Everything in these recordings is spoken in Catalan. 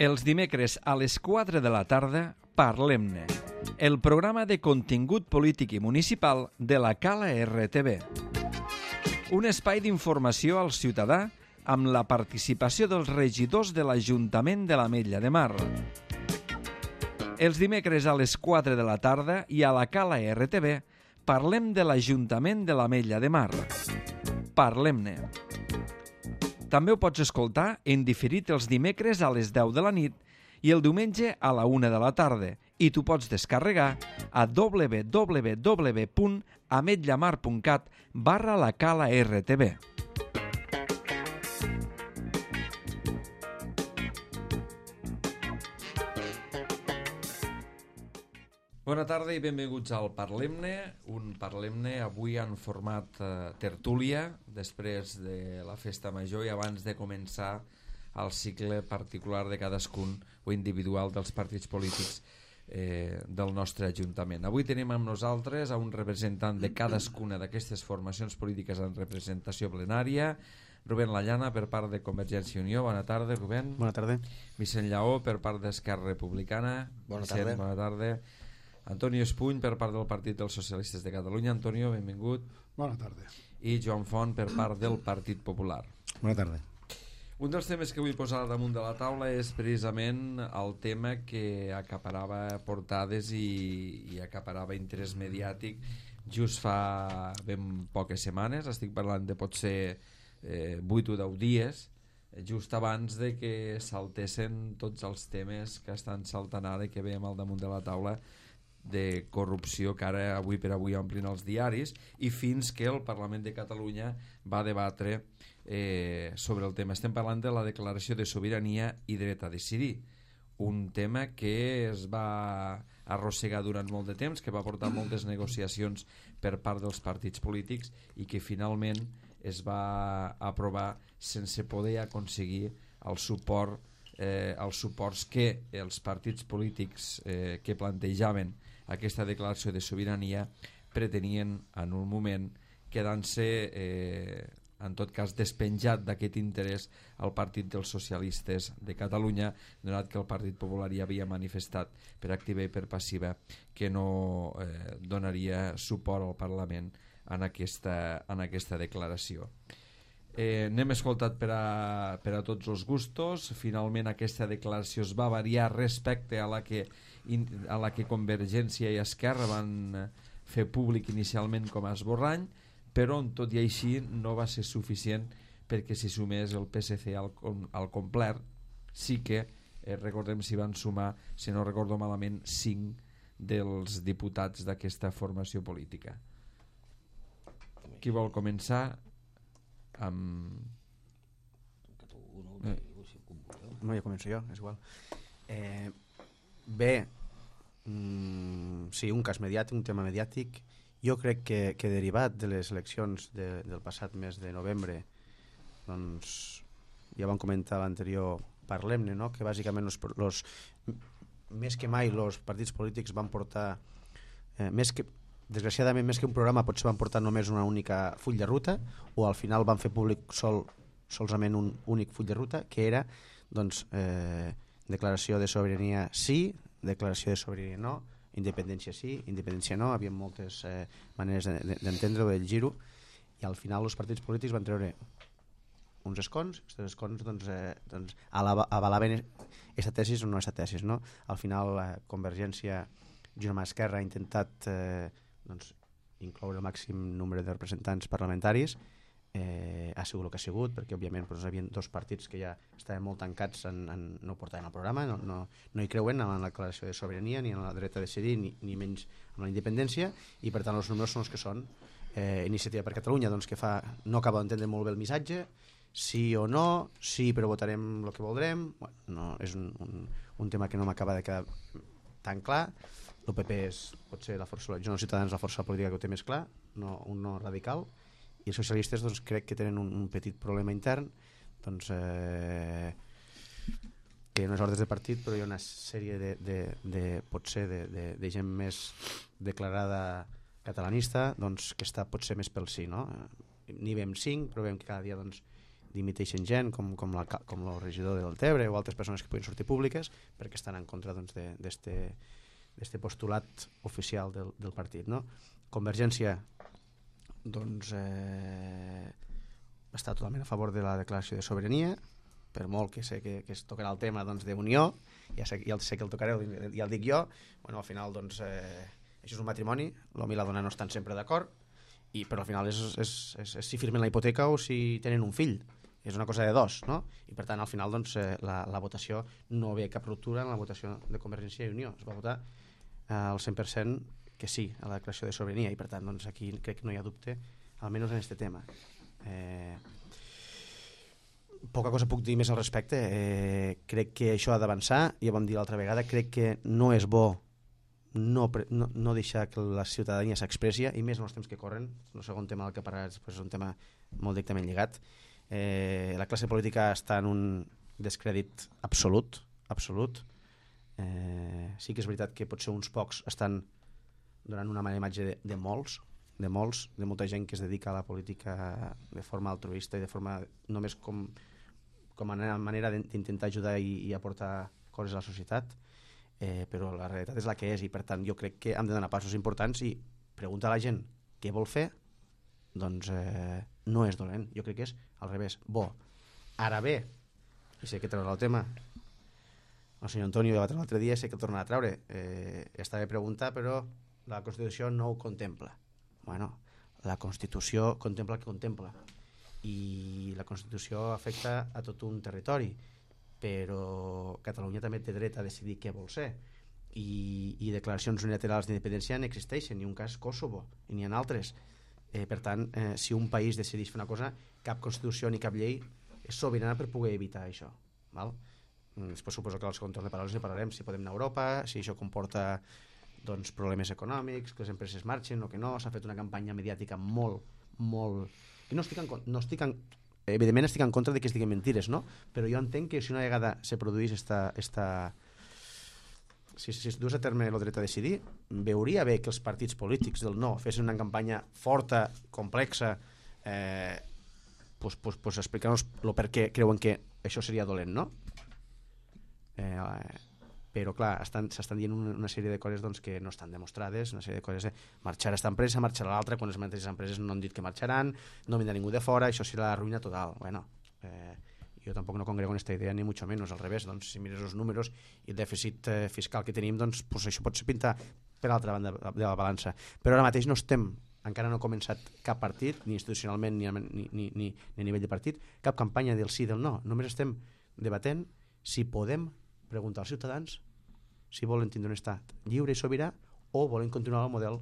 Els dimecres a les 4 de la tarda, Parlem-ne, el programa de contingut polític i municipal de la Cala RTV. Un espai d'informació al ciutadà amb la participació dels regidors de l'Ajuntament de l'Ametlla de Mar. Els dimecres a les 4 de la tarda i a la Cala RTV parlem de l'Ajuntament de l'Ametlla de Mar. Parlem-ne. També ho pots escoltar en diferit els dimecres a les 10 de la nit i el diumenge a la 1 de la tarda i t'ho pots descarregar a www.ametllamar.cat/la Cala RTV. Bona tarda i benvinguts al Parlem-ne, un Parlem-ne avui en format tertúlia, després de la festa major i abans de començar el cicle particular de cadascun o individual dels partits polítics del nostre Ajuntament. Avui tenim amb nosaltres a un representant de cadascuna d'aquestes formacions polítiques en representació plenària, Rubén Lallana per part de Convergència i Unió. Bona tarda, Rubén. Bona tarda. Vicent Lleó per part d'Esquerra Republicana. Bona Vicent, tarda. Bona tarda. Antonio Espuny per part del Partit dels Socialistes de Catalunya. Antonio, benvingut. Bona tarda. I Joan Font per part del Partit Popular. Bona tarda. Un dels temes que vull posar damunt de la taula és precisament el tema que acaparava portades i acaparava interès mediàtic just fa ben poques setmanes. Estic parlant de potser 8 o 10 dies, just abans de que saltessin tots els temes que estan saltant ara i que veiem al damunt de la taula de corrupció que ara avui per avui omplin els diaris, i fins que el Parlament de Catalunya va debatre sobre el tema. Estem parlant de la declaració de sobirania i dret a decidir, un tema que es va arrossegar durant molt de temps, que va portar moltes negociacions per part dels partits polítics i que finalment es va aprovar sense poder aconseguir el suport els suports que els partits polítics que plantejaven aquesta declaració de sobirania pretenien en un moment, quedant-se en tot cas despenjat d'aquest interès al Partit dels Socialistes de Catalunya, donat que el Partit Popular ja havia manifestat per activa i per passiva que no donaria suport al Parlament en aquesta declaració. N'hem escoltat per a tots els gustos. Finalment aquesta declaració es va variar respecte a la que Convergència i Esquerra van fer públic inicialment com a esborrany, però tot i així no va ser suficient perquè s'hi sumés el PSC al complet. Sí que recordem s'hi van sumar, si no recordo malament, 5 dels diputats d'aquesta formació política. Qui vol començar? No, ja començo jo, és igual. Bé, sí, un cas mediàtic, un tema mediàtic. Jo crec que derivat de les eleccions del passat mes de novembre, doncs ja vam comentar l'anterior Parlem-ne, no? Que bàsicament més que mai els partits polítics van portar desgraciadament més que un programa potser van portar només una única full de ruta, o al final van fer públic solament un únic full de ruta, que era doncs, declaració de sobirania sí, declaració de sobirania no, independència sí, independència no. Hi havia moltes maneres d'entendre-ho, de llegir-ho, i al final els partits polítics van treure uns escons. Aquests escons doncs, avalaven aquesta tesis o no aquesta tesis, no? Al final Convergència junt amb Esquerra ha intentat doncs, incloure el màxim nombre de representants parlamentaris. Ha sigut el que ha sigut, perquè òbviament doncs, hi havia dos partits que ja estaven molt tancats no ho portaven al programa, no hi creuen en la declaració de sobirania ni en el dret a decidir, ni menys en la independència, i per tant els números són els que són. Iniciativa per Catalunya, doncs, que no acaba d'entendre molt bé el missatge, sí o no, sí però votarem el que voldrem. Bueno, no, és un tema que no m'acaba de quedar tan clar. L'UPP pot ser la força, Junts Ciutadans, la força política que ho té més clar, un no radical, i els socialistes doncs, crec que tenen un petit problema intern, doncs, que no és ordres de partit, però hi ha una sèrie potser de gent més declarada catalanista, doncs, que està potser més pel sí, no? N'hi veiem 5, però veiem que cada dia doncs, dimiteixen gent com el regidor del Tebre o altres persones que puguin sortir públiques perquè estan en contra d'este postulat oficial del partit, no? Convergència està totalment a favor de la declaració de sobirania, per molt que sé que es tocarà el tema d'unió, ja sé que el tocareu, ja el dic jo. Bueno, al final això és un matrimoni, l'home i la dona no estan sempre d'acord, però al final és si firmen la hipoteca o si tenen un fill, és una cosa de dos, no? I per tant al final la votació no ve cap ruptura en la votació de Convergència i Unió, es va votar al 100% que sí a la declaració de sobirania, i per tant aquí crec que no hi ha dubte, almenys en aquest tema. Poca cosa puc dir més al respecte. Crec que això ha d'avançar, ja vam dir l'altra vegada, crec que no és bo no deixar que la ciutadania s'expressi, i més en els temps que corren. El segon tema del que parlaràs és un tema molt directament lligat. La classe política està en un descrèdit absolut. Sí que és veritat que potser uns pocs estan donant una mala imatge de molta gent que es dedica a la política de forma altruista i de forma només com a manera d'intentar ajudar i aportar coses a la societat, però la realitat és la que és, i per tant jo crec que hem de donar passos importants i preguntar a la gent què vol fer, doncs no és dolent, jo crec que és al revés, bo. Ara bé, i sé que traurà el tema el senyor Antonio ja va treure l'altre dia, sé que el tornarà a traure, està bé preguntar, però la Constitució no ho contempla. Bueno, la Constitució contempla el que contempla, i la Constitució afecta a tot un territori, però Catalunya també té dret a decidir què vol ser, i declaracions unilaterals d'independència n'existeixen, i un cas Kosovo, i n'hi ha altres. Per tant, si un país decideix fer una cosa, cap Constitució ni cap llei és sobirana per poder evitar això, val? Després suposo que al segon torn de paraules ne parlarem, si podem anar a Europa, si això comporta problemes econòmics, que les empreses marxen o que no. S'ha fet una campanya mediàtica molt i evidentment estic en contra de que es diguin mentires, no? Però jo entenc que si una vegada se produís si es dues a terme el dret a decidir, veuria bé que els partits polítics del no fessin una campanya forta, complexa, explicant-nos el per què creuen que això seria dolent, no? Però clar, s'estan dient una sèrie de coses que no estan demostrades, una sèrie de coses marxar esta empresa, marxar l'altra, quan les mateixes empreses no han dit que marxaran, no vindrà ningú de fora, això serà la ruïna total. Bueno, jo tampoc no congrego en aquesta idea, ni mucho menos, al revés. Si mires els números i el dèficit fiscal que tenim, això pot ser pintar per l'altra banda de la balança, però ara mateix encara no ha començat cap partit, ni institucionalment ni a nivell de partit, cap campanya del sí i del no. Només estem debatent si podem preguntar als ciutadans si volen tindre un estat lliure i sobirà o volen continuar el model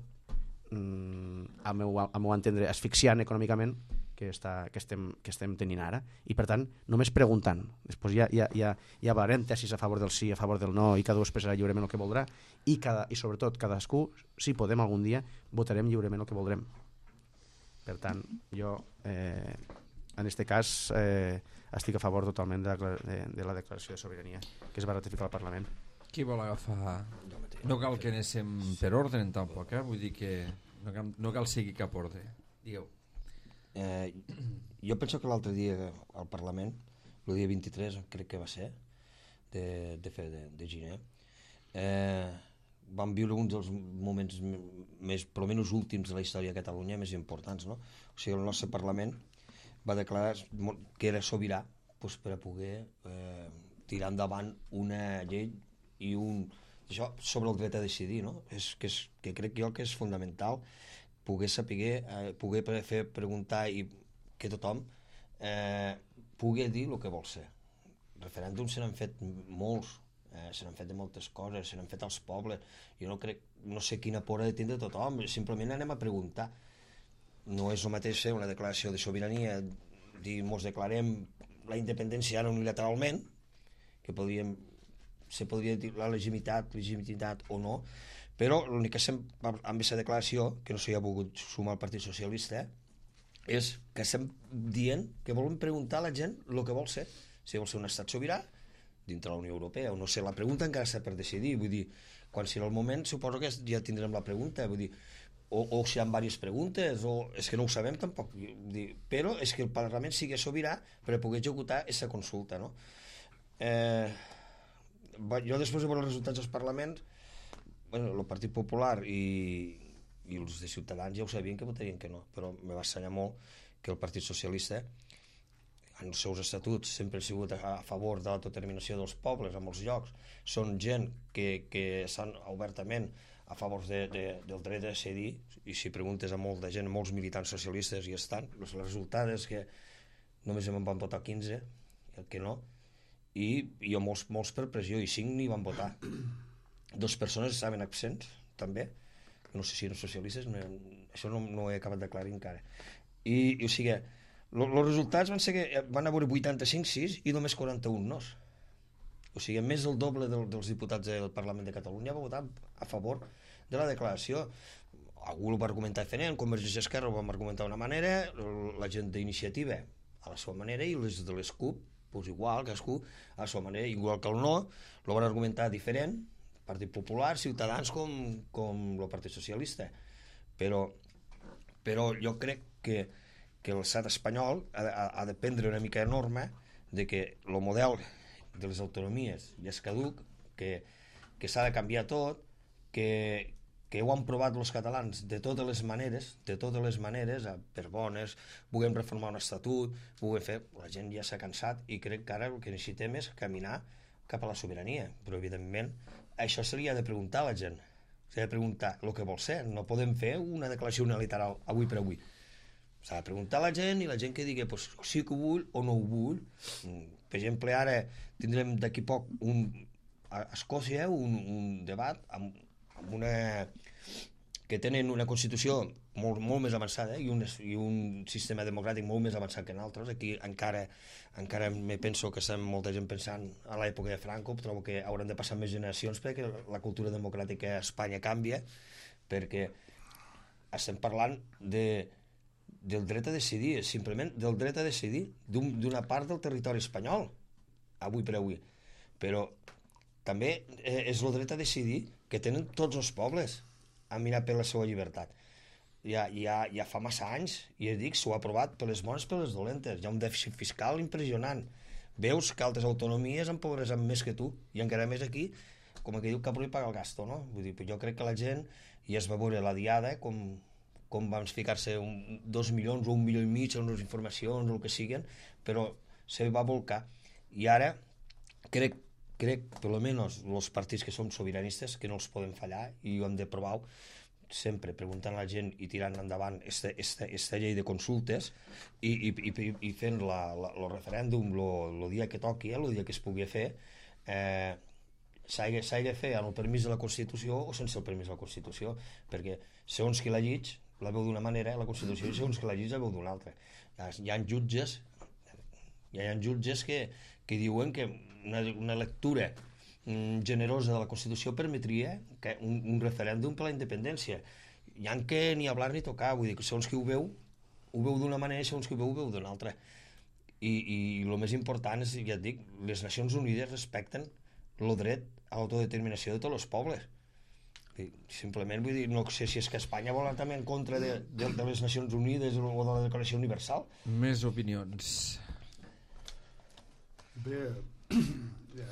al meu entendre asfixiant econòmicament que estem tenint ara. I per tant, només preguntant, després ja parlarem tesis a favor del sí, a favor del no, i cada un expressarà lliurement el que voldrà, i sobretot cadascú, si podem algun dia, votarem lliurement el que voldrem. Per tant, jo en aquest cas estic a favor totalment de la declaració de sobirania que es va ratificar al Parlament. Qui vol agafar? No cal que anéssim per ordre tampoc, vull dir que no cal seguir cap ordre. Digueu. Jo penso que l'altre dia al Parlament, el dia 23 crec que va ser de gener, vam viure un dels moments més, per almenys últims de la història de Catalunya, més importants, no? O sigui, el nostre Parlament va declarar que era sobirà per a poder tirar endavant una llei i això sobre el dret a decidir, no? Que crec jo que és fonamental poder saber, poder fer preguntar i que tothom pugui dir el que vol ser. Referèndums se n'han fet molts, se n'han fet de moltes coses, se n'han fet als pobles. Jo no sé quina por ha de tindre tothom, simplement anem a preguntar. No és el mateix fer una declaració de sobirania, dir mos declarem la independència ara unilateralment, que se podria dir la legitimitat o no, però l'únic que amb aquesta declaració, que no s'hi ha volgut sumar el Partit Socialista, és que estem dient que volem preguntar a la gent el que vol ser, si vol ser un estat sobirà dintre la Unió Europea o no sé, la pregunta encara està per decidir, vull dir, quan serà el moment suposo que ja tindrem la pregunta, vull dir, o si hi ha diverses preguntes, o és que no ho sabem tampoc, però és que el Parlament sigui sobirà per poder executar aquesta consulta, no? Jo després de veure els resultats dels parlaments, bueno, el Partit Popular i els de Ciutadans ja ho sabien que votarien que no, però me va assenyar molt que el Partit Socialista en els seus estatuts sempre ha sigut a favor de l'autodeterminació dels pobles en molts llocs, són gent que estan obertament a favor del dret a decidir, i si preguntes a molta gent, molts militants socialistes hi estan, el resultat és que només en van votar 15, el que no, i molts per pressió, i 5 ni van votar. 2 persones estaven absents, també, no sé si eren socialistes, això no ho he acabat d'aclarir encara. I o sigui, els resultats van ser que van haver 85-6 i només 41 nos. O sigui, més del doble dels diputats del Parlament de Catalunya va votar a favor de la declaració. Algú ho va argumentar diferent, Convergència i Esquerra ho van argumentar d'una manera, la gent d'Iniciativa a la seva manera, i les de les CUP, doncs igual, cadascú a la seva manera, igual que el no, ho van argumentar diferent, Partit Popular, Ciutadans com el Partit Socialista. Però jo crec que l'estat espanyol ha de prendre una mica de norma de que el model de les autonomies ja és caduc, que s'ha de canviar tot, que ho han provat els catalans de totes les maneres, per bones, puguem reformar un estatut, puguem fer... La gent ja s'ha cansat i crec que ara el que necessitem és caminar cap a la sobirania, però evidentment això se li ha de preguntar a la gent, s'ha de preguntar el que vol ser, no podem fer una declaració unilateral avui per avui, s'ha de preguntar a la gent i la gent que digui pues, sí que ho vull o no ho vull. Per exemple, ara tindrem d'aquí poc a Escòcia un debat amb una que tenen una Constitució molt més avançada i un sistema democràtic molt més avançat que nosaltres. Aquí encara me penso que estem molta gent pensant a l'època de Franco, trobo que hauran de passar més generacions perquè la cultura democràtica a Espanya canvia, perquè estem parlant del dret a decidir, simplement del dret a decidir d'una part del territori espanyol, avui per avui. Però també és el dret a decidir que tenen tots els pobles a mirar per la seva llibertat. Ja fa massa anys, i ja dic, s'ho ha aprovat per les bones, per les dolentes. Hi ha un dèficit fiscal impressionant. Veus que altres autonomies empobreixen més que tu, i encara més aquí, com que diu Capri paga el gasto, no? Vull dir, jo crec que la gent ja es va veure la diada, com van ficar-se 2 milions o 1,5 milions en les informacions o el que siguen, però se va volcar. I ara crec, per almenys els partits que som sobiranistes, que no els podem fallar i ho hem de provar sempre preguntant a la gent i tirant endavant esta llei de consultes i fent el referèndum el dia que toqui, el dia que es pugui fer, s'ha de fer amb el permís de la Constitució o sense el permís de la Constitució, perquè segons qui la llig la veu d'una manera, la Constitució, i segons qui la llig la veu d'una altra. Hi ha jutges que diuen que una lectura generosa de la Constitució permetria que un referèndum per la independència. Hi ha que ni hablar ni tocar, vull dir que segons qui ho veu d'una manera i segons qui ho veu d'una altra. I el més important és, ja et dic, les Nacions Unides respecten el dret a l'autodeterminació de tots els pobles. Simplement vull dir, no sé si és que Espanya vol anar també en contra de les Nacions Unides o de la Declaració Universal. Més opinions. Bé,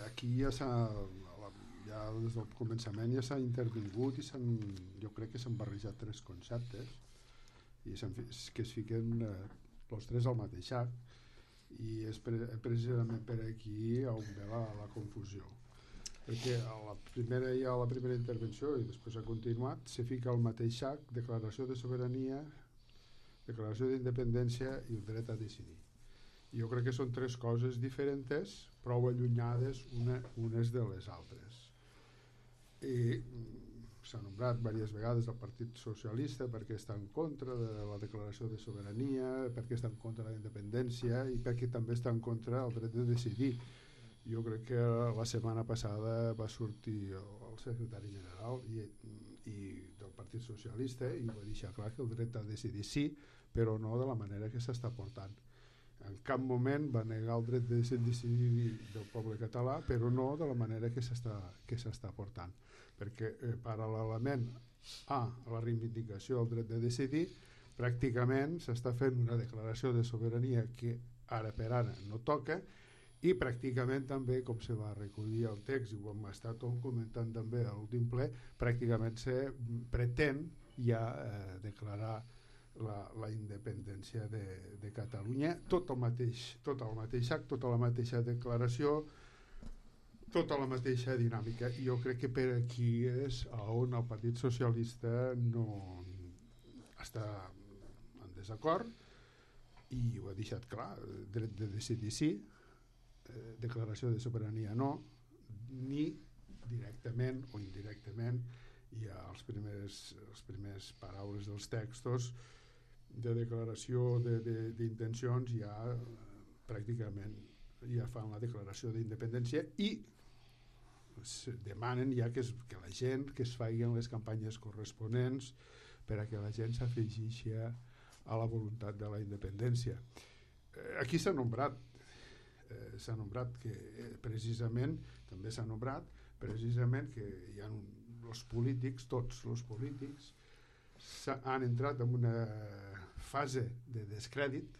aquí ja des del començament ja s'ha intervingut i jo crec que s'han barrejat 3 conceptes i que es fiquen els 3 al mateix sac, i és precisament per aquí on ve la confusió, perquè a la primera intervenció i després ha continuat, se fica al mateix sac declaració de sobirania, declaració d'independència i el dret a decidir. Jo crec que són 3 coses diferents, prou allunyades unes de les altres. I s'ha nombrat diverses vegades el Partit Socialista perquè està en contra de la declaració de sobirania, perquè està en contra de la independència i perquè també està en contra del dret de decidir. Jo crec que la setmana passada va sortir el secretari general del Partit Socialista i va deixar clar que el dret a decidir sí, però no de la manera que s'està portant. En cap moment va negar el dret de decidir del poble català, però no de la manera que s'està portant, perquè paral·lelament a la reivindicació del dret de decidir, pràcticament s'està fent una declaració de sobirania que ara per ara no toca, i pràcticament també, com se va recollir el text i ho hem estat comentant també a l'últim ple, pràcticament se pretén ja declarar la independència de Catalunya, tot el mateix acte, tota la mateixa declaració, tota la mateixa dinàmica. Jo crec que per aquí és on el Partit Socialista no està en desacord, i ho ha deixat clar: dret de decidir sí, declaració de sobirania no, ni directament o indirectament. Hi ha els primers paraules dels textos de declaració d'intencions, ja pràcticament ja fan la declaració d'independència i demanen ja que la gent, que es facin les campanyes corresponents per a que la gent s'afegeixi a la voluntat de la independència. Aquí s'ha nombrat que precisament, també s'ha nombrat precisament que hi ha els polítics, tots els polítics han entrat en una fase de descrèdit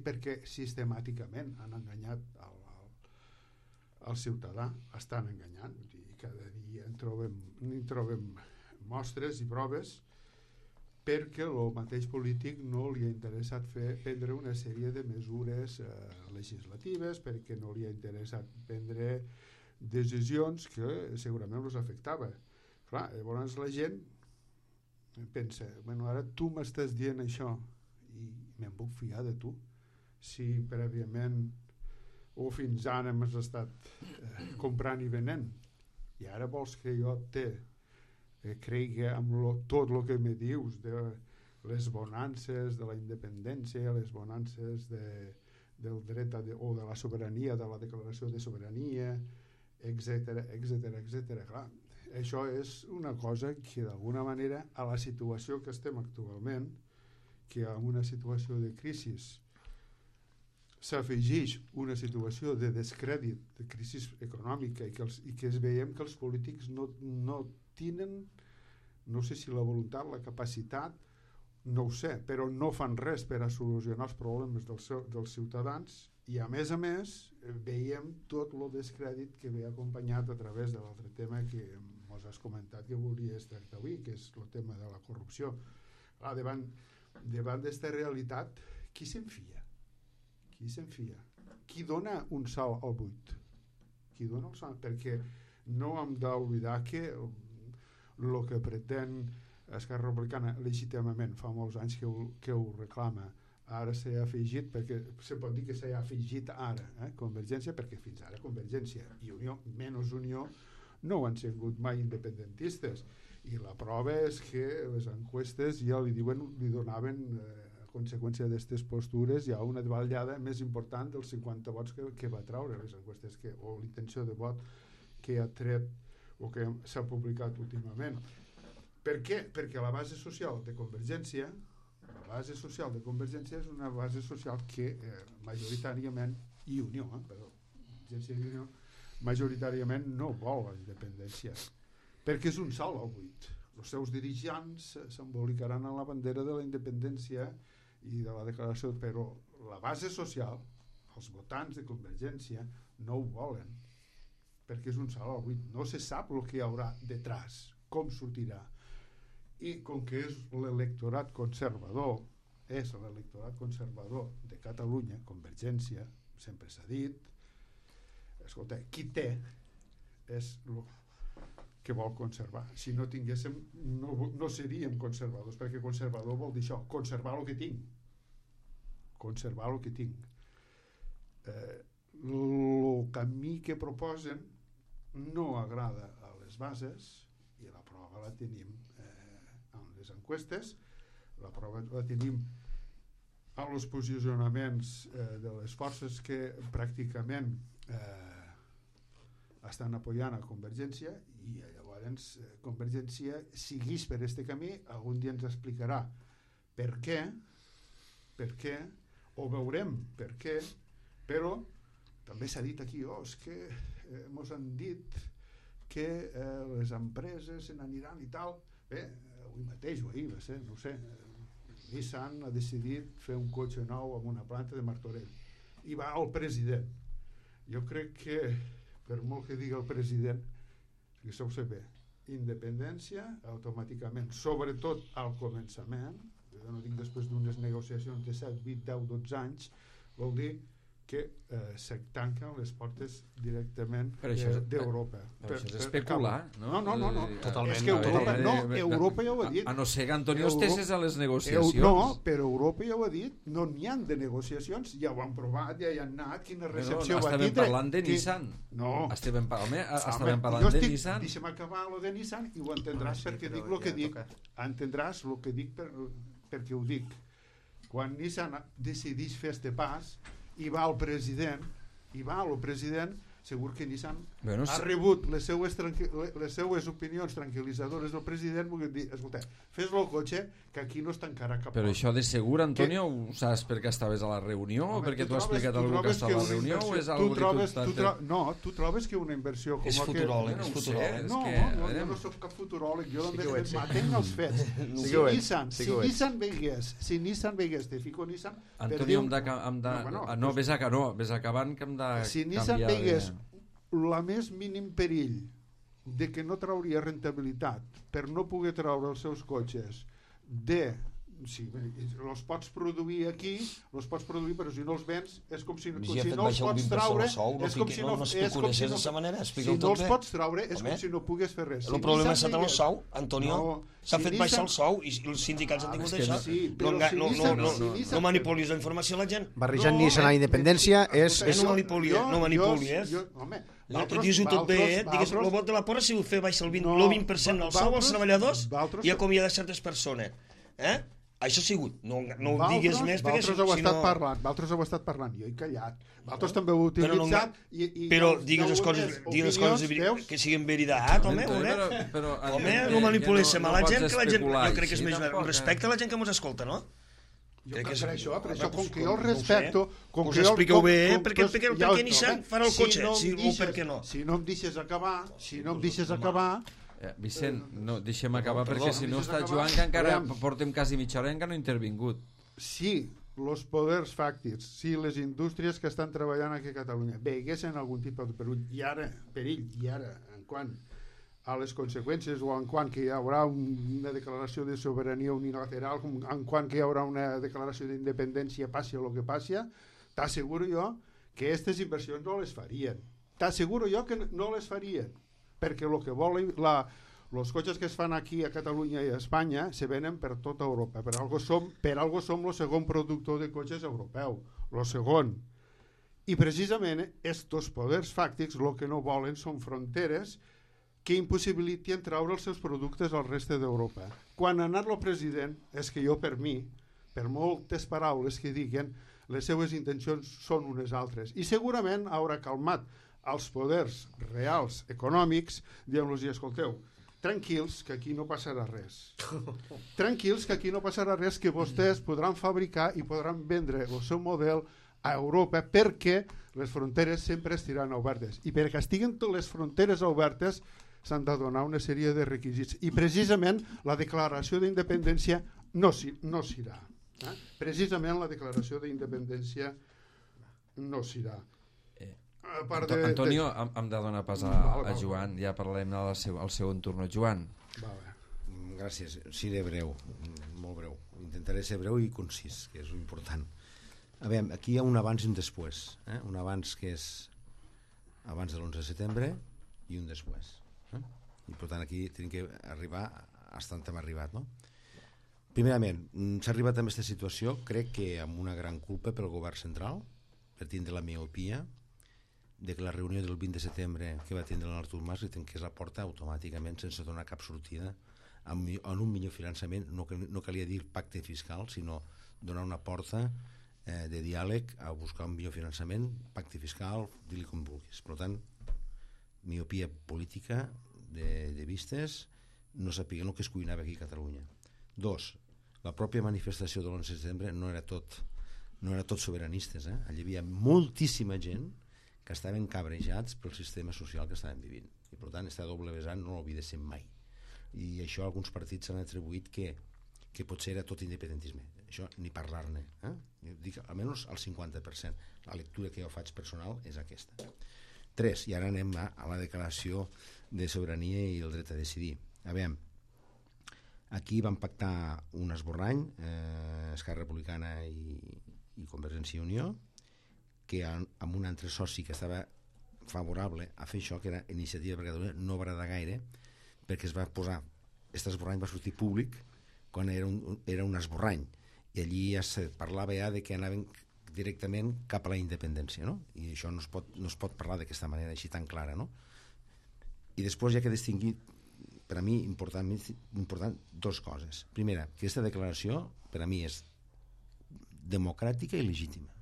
perquè sistemàticament han enganyat el ciutadà, estan enganyant, i cada dia en trobem mostres i proves, perquè el mateix polític no li ha interessat prendre una sèrie de mesures legislatives, perquè no li ha interessat prendre decisions que segurament els afectava. Clar, llavors la gent pensa, bueno, ara tu m'estàs dient això i me'n puc fiar de tu, si prèviament o fins ara m'has estat comprant i venent, i ara vols que jo cregui en tot el que me dius de les bonances de la independència, les bonances del dret o de la sobirania, de la declaració de sobirania, etc. Clar, això és una cosa que d'alguna manera a la situació que estem actualment, que en una situació de crisi s'afegeix una situació de descrèdit, de crisi econòmica, i que veiem que els polítics no tenen, no sé si la voluntat, la capacitat, no ho sé, però no fan res per a solucionar els problemes dels ciutadans, i a més veiem tot el descrèdit que ve acompanyat a través de l'altre tema que mos has comentat que volies tractar avui, que és el tema de la corrupció. Davant d'esta realitat, qui se'n fia? Qui dona un salt al buit? Perquè no hem d'oblidar que el que pretén Esquerra Republicana legítimament fa molts anys que ho reclama, ara s'ha afegit, perquè se pot dir que s'ha afegit ara Convergència, perquè fins ara Convergència i Unió, menys Unió, no han sigut mai independentistes, i la prova és que les enquestes ja li donaven a conseqüència d'aquestes postures ja una davallada més important dels 50 vots que va traure les enquestes, o l'intenció de vot que ha tret o que s'ha publicat últimament. Per què? Perquè la base social de Convergència és una base social que majoritàriament, i Unió, Convergència i Unió, majoritàriament no vol la independència, perquè és un salt al buit. Els seus dirigents s'embolicaran en la bandera de la independència i de la declaració, però la base social, els votants de Convergència, no ho volen, perquè és un salt al buit. No se sap el que hi haurà detrás, com sortirà. I com que és l'electorat conservador, de Catalunya, Convergència, sempre s'ha dit, escolta, qui té és el que vol conservar. Si no tinguéssim, no seríem conservadors, perquè conservador vol dir això, conservar el que tinc. El camí que proposen no agrada a les bases, i la prova la tenim en les enquestes, la prova la tenim en els posicionaments de les forces que pràcticament estan apoyant a Convergència, i llavors Convergència segueix per este camí. Algun dia ens explicarà per què, o veurem per què, però també s'ha dit aquí, és que mos han dit que les empreses se n'aniran i tal. Bé, avui mateix o ahir va ser, no ho sé, Nissan ha decidit fer un cotxe nou amb una planta de Martorell i va el president. Jo crec que per molt que digui el president, que això ho sé bé, independència automàticament, sobretot al començament, jo no dic després d'unes negociacions de 7, 20, 10, 12 anys, vol dir que se tanquen les portes directament d'Europa. Però això és especular, no? No. Totalment. És que Europa ja ho ha dit. A no ser que Antonio estigués a les negociacions. No, però Europa ja ho ha dit, no n'hi ha de negociacions, ja ho han provat, ja hi han anat, quina recepció va tindre. Estàvem parlant de Nissan. No. Estàvem parlant de Nissan. Deixa'm acabar lo de Nissan i ho entendràs perquè dic el que dic. Entendràs el que dic perquè ho dic. Quan Nissan decideix fer este pas i va al president, segur que Nissan ha rebut les seues opinions tranquil·litzadores del president, vull dir, escolta, fes el cotxe que aquí no es tancarà cap porta. Però això de segur, Antonio, ho saps perquè estaves a la reunió o perquè t'ho ha explicat algú que està a la reunió o és algo que No, tu trobes que una inversió com és futuròleg, és futuròleg. No, jo no soc cap futuròleg, jo m'atenc als fets. Si Nissan veigués, te fico Nissan... Antonio, no, ves acabant que hem de si Nissan veigués la més mínim perill de que no trauria rentabilitat per no poder treure els seus cotxes si els pots produir aquí, però si no els vens és com si no els pots traure, és com si no els pots traure, és com si no pogués fer res. El problema és el sou, Antonio. S'ha fet baixar el sou i els sindicats han tingut això. No manipulis la informació a la gent. Barrejant Nissan a la independència és... No manipulis. Dius-ho tot bé, digues, el vot de la porra si ho fer baixar el 20% del sou als treballadors i acomiadar certes persones. Això ha sigut, no ho digues més perquè si no... Valtros heu estat parlant, jo he callat. Valtros també ho heu utilitzat però digues les coses que siguin veritat, home, no manipuléssim a la gent, que la gent, jo crec que és més respecte a la gent que ens escolta, no? Jo crec per això, com que jo el respecto... Us expliqueu bé, per què Nissan farà el cotxe, o per què no? Si no em deixes acabar... Vicent, no, deixem acabar perquè si no està Joan, que encara portem quasi mitja hora i encara no ha intervingut. Si els poders fàctics, si les indústries que estan treballant aquí a Catalunya veiguessin algun tipus de perill, i ara, en quant a les conseqüències o en quant que hi haurà una declaració de sobirania unilateral, en quant que hi haurà una declaració d'independència, passi el que passi, t'asseguro jo que aquestes inversions no les farien. T'asseguro jo que no les farien. Perquè el que volen els cotxes que es fan aquí a Catalunya i a Espanya se venen per tota Europa. Per algo som el segon productor de cotxes europeu, el segon. I precisament estos poders fàctics el que no volen són fronteres que impossibiliten treure els seus productes al reste d'Europa. Quan ha anat el president, és que jo per mi, per moltes paraules que diguen, les seues intencions són unes altres. I segurament haurà calmat als poders reals econòmics, dient-los, escolteu, tranquils, que aquí no passarà res. Tranquils, que aquí no passarà res, que vostès podran fabricar i podran vendre el seu model a Europa perquè les fronteres sempre estiran obertes. I perquè estiguen les fronteres obertes s'han de donar una sèrie de requisits. I precisament la declaració d'independència no s'irà. Precisament la declaració d'independència no s'irà. Antonio, hem de donar pas a Joan, ja parlarem al segon turno. Joan. Gràcies, seré breu, molt breu. Intentaré ser breu i concís, que és important. A veure, aquí hi ha un abans i un després. Un abans que és abans de l'11 de setembre i un després. I per tant aquí tenim que arribar fins on hem arribat, no? Primerament, s'ha arribat a aquesta situació, crec que amb una gran culpa pel govern central, per tindre la miopia de que la reunió del 20 de setembre que va tindre l'Artur Mas li tanqués la porta automàticament sense donar cap sortida en un millor finançament. No calia dir pacte fiscal, sinó donar una porta de diàleg a buscar un millor finançament, pacte fiscal, dir-li com vulguis. Per tant, miopia política de vistes, no sapien el que es cuinava aquí a Catalunya. 2, la pròpia manifestació de l'11 de setembre no era tot sobiranistes. Allí hi havia moltíssima gent que estaven cabrejats pel sistema social que estaven vivint. I per tant, aquesta doble vessant no l'oblidéssim mai. i això alguns partits s'han atribuït que potser era tot independentisme. Això ni parlar-ne. Jo dic almenys al 50%. La lectura que jo faig personal és aquesta. 3, i ara anem a la declaració de sobirania i el dret a decidir. A veure, aquí van pactar un esborrany, Esquerra Republicana i Convergència i Unió, que amb un altre soci que estava favorable a fer això, que era Iniciativa per Catalunya, no va agradar gaire, perquè es va posar, aquest esborrany va sortir públic quan era un esborrany, i allí ja se parlava ja de que anaven directament cap a la independència, no? I això no es pot parlar d'aquesta manera així tan clara, no? I després ja que he distingit, per a mi important dues coses. Primera, que aquesta declaració per a mi és democràtica i legítima,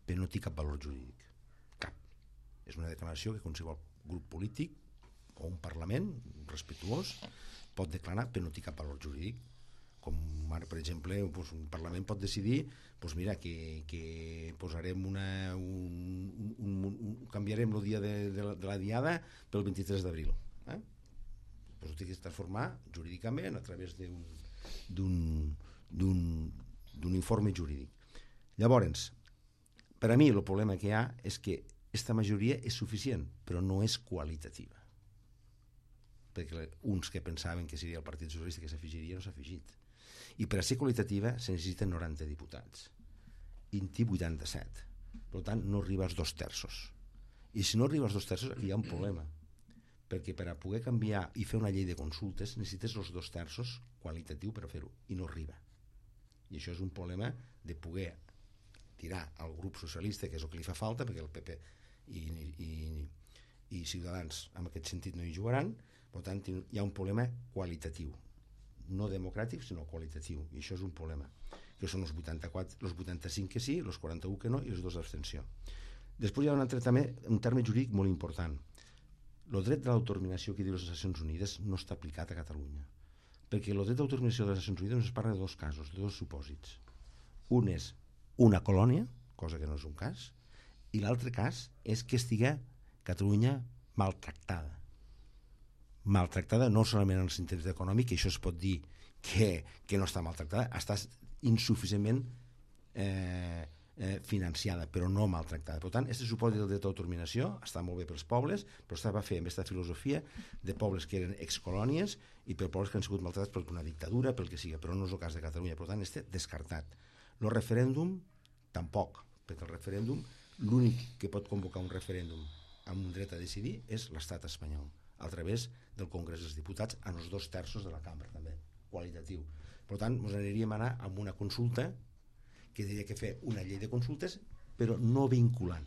però no té cap valor jurídic, cap. És una declaració que qualsevol grup polític o un parlament respectuós pot declarar, però no té cap valor jurídic. Com ara, per exemple, un parlament pot decidir mira, que posarem canviarem el dia de la diada pel 23 d'abril. Ho té que transformar jurídicament a través d'un informe jurídic. Llavors, per a mi el problema que hi ha és que aquesta majoria és suficient, però no és qualitativa. Perquè uns que pensaven que seria el Partit Socialista que s'afegiria no s'ha afegit. I per a ser qualitativa se necessiten 90 diputats. I en té 87. Per tant, no arriba als 2/3. I si no arriba als 2/3, aquí hi ha un problema. Perquè per a poder canviar i fer una llei de consultes necessites els 2/3 qualitatiu per a fer-ho, i no arriba. I això és un problema de poder tirar al grup socialista, que és el que li fa falta, perquè el PP i Ciutadans en aquest sentit no hi jugaran. Per tant, hi ha un problema qualitatiu, no democràtic, sinó qualitatiu, i això és un problema, que són els 85 que sí, els 41 que no i els 2 d'abstenció. Després hi ha un terme jurídic molt important. El dret de l'autodeterminació que diu les Nacions Unides no està aplicat a Catalunya, perquè el dret d'autodeterminació de les Nacions Unides es parla de 2 casos, de 2 supòsits. Un és una colònia, cosa que no és un cas, i l'altre cas és que estigui Catalunya maltractada no solament en el sentit econòmic, que això es pot dir que no està maltractada, està insuficientment financiada, però no maltractada. Per tant, aquest supòsit del dret d'autodeterminació està molt bé pels pobles, però estava fet amb aquesta filosofia de pobles que eren excolònies i per pobles que han sigut maltractats per una dictadura, pel que sigui, però no és el cas de Catalunya. Per tant, està descartat. El referèndum, tampoc, perquè el referèndum, l'únic que pot convocar un referèndum amb un dret a decidir és l'estat espanyol, a través del Congrés dels Diputats, en els 2/3 de la cambra, també, qualitatiu. Per tant, ens aniríem a anar amb una consulta que diria que fer una llei de consultes, però no vinculant,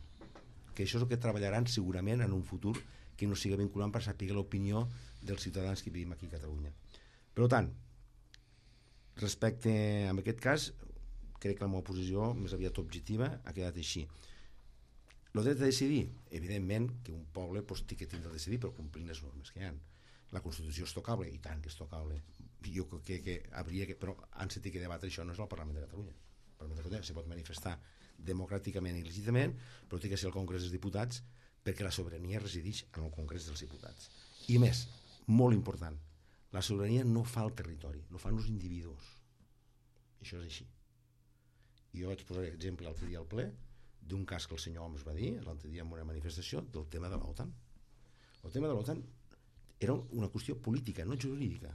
que això és el que treballaran segurament en un futur que no sigui vinculant per saber l'opinió dels ciutadans que vivim aquí a Catalunya. Per tant, respecte a aquest cas, crec que la meva posició més aviat objectiva ha quedat així. El dret a decidir, evidentment que un poble té que tindre a decidir, però complint les normes que hi ha. La Constitució és tocable, i tant que és tocable. Jo crec que hauria que, però han sentit que debatre això no és el Parlament de Catalunya. El Parlament de Catalunya se pot manifestar democràticament i legítimament, però té que ser el Congrés dels Diputats, perquè la sobirania resideix en el Congrés dels Diputats. I més, molt important, la sobirania no fa el territori, no fan els individus. Això és així. Jo vaig posar exemple l'altre dia al ple d'un cas que el senyor Homs va dir l'altre dia en una manifestació del tema de l'OTAN. El tema de l'OTAN era una qüestió política, no jurídica,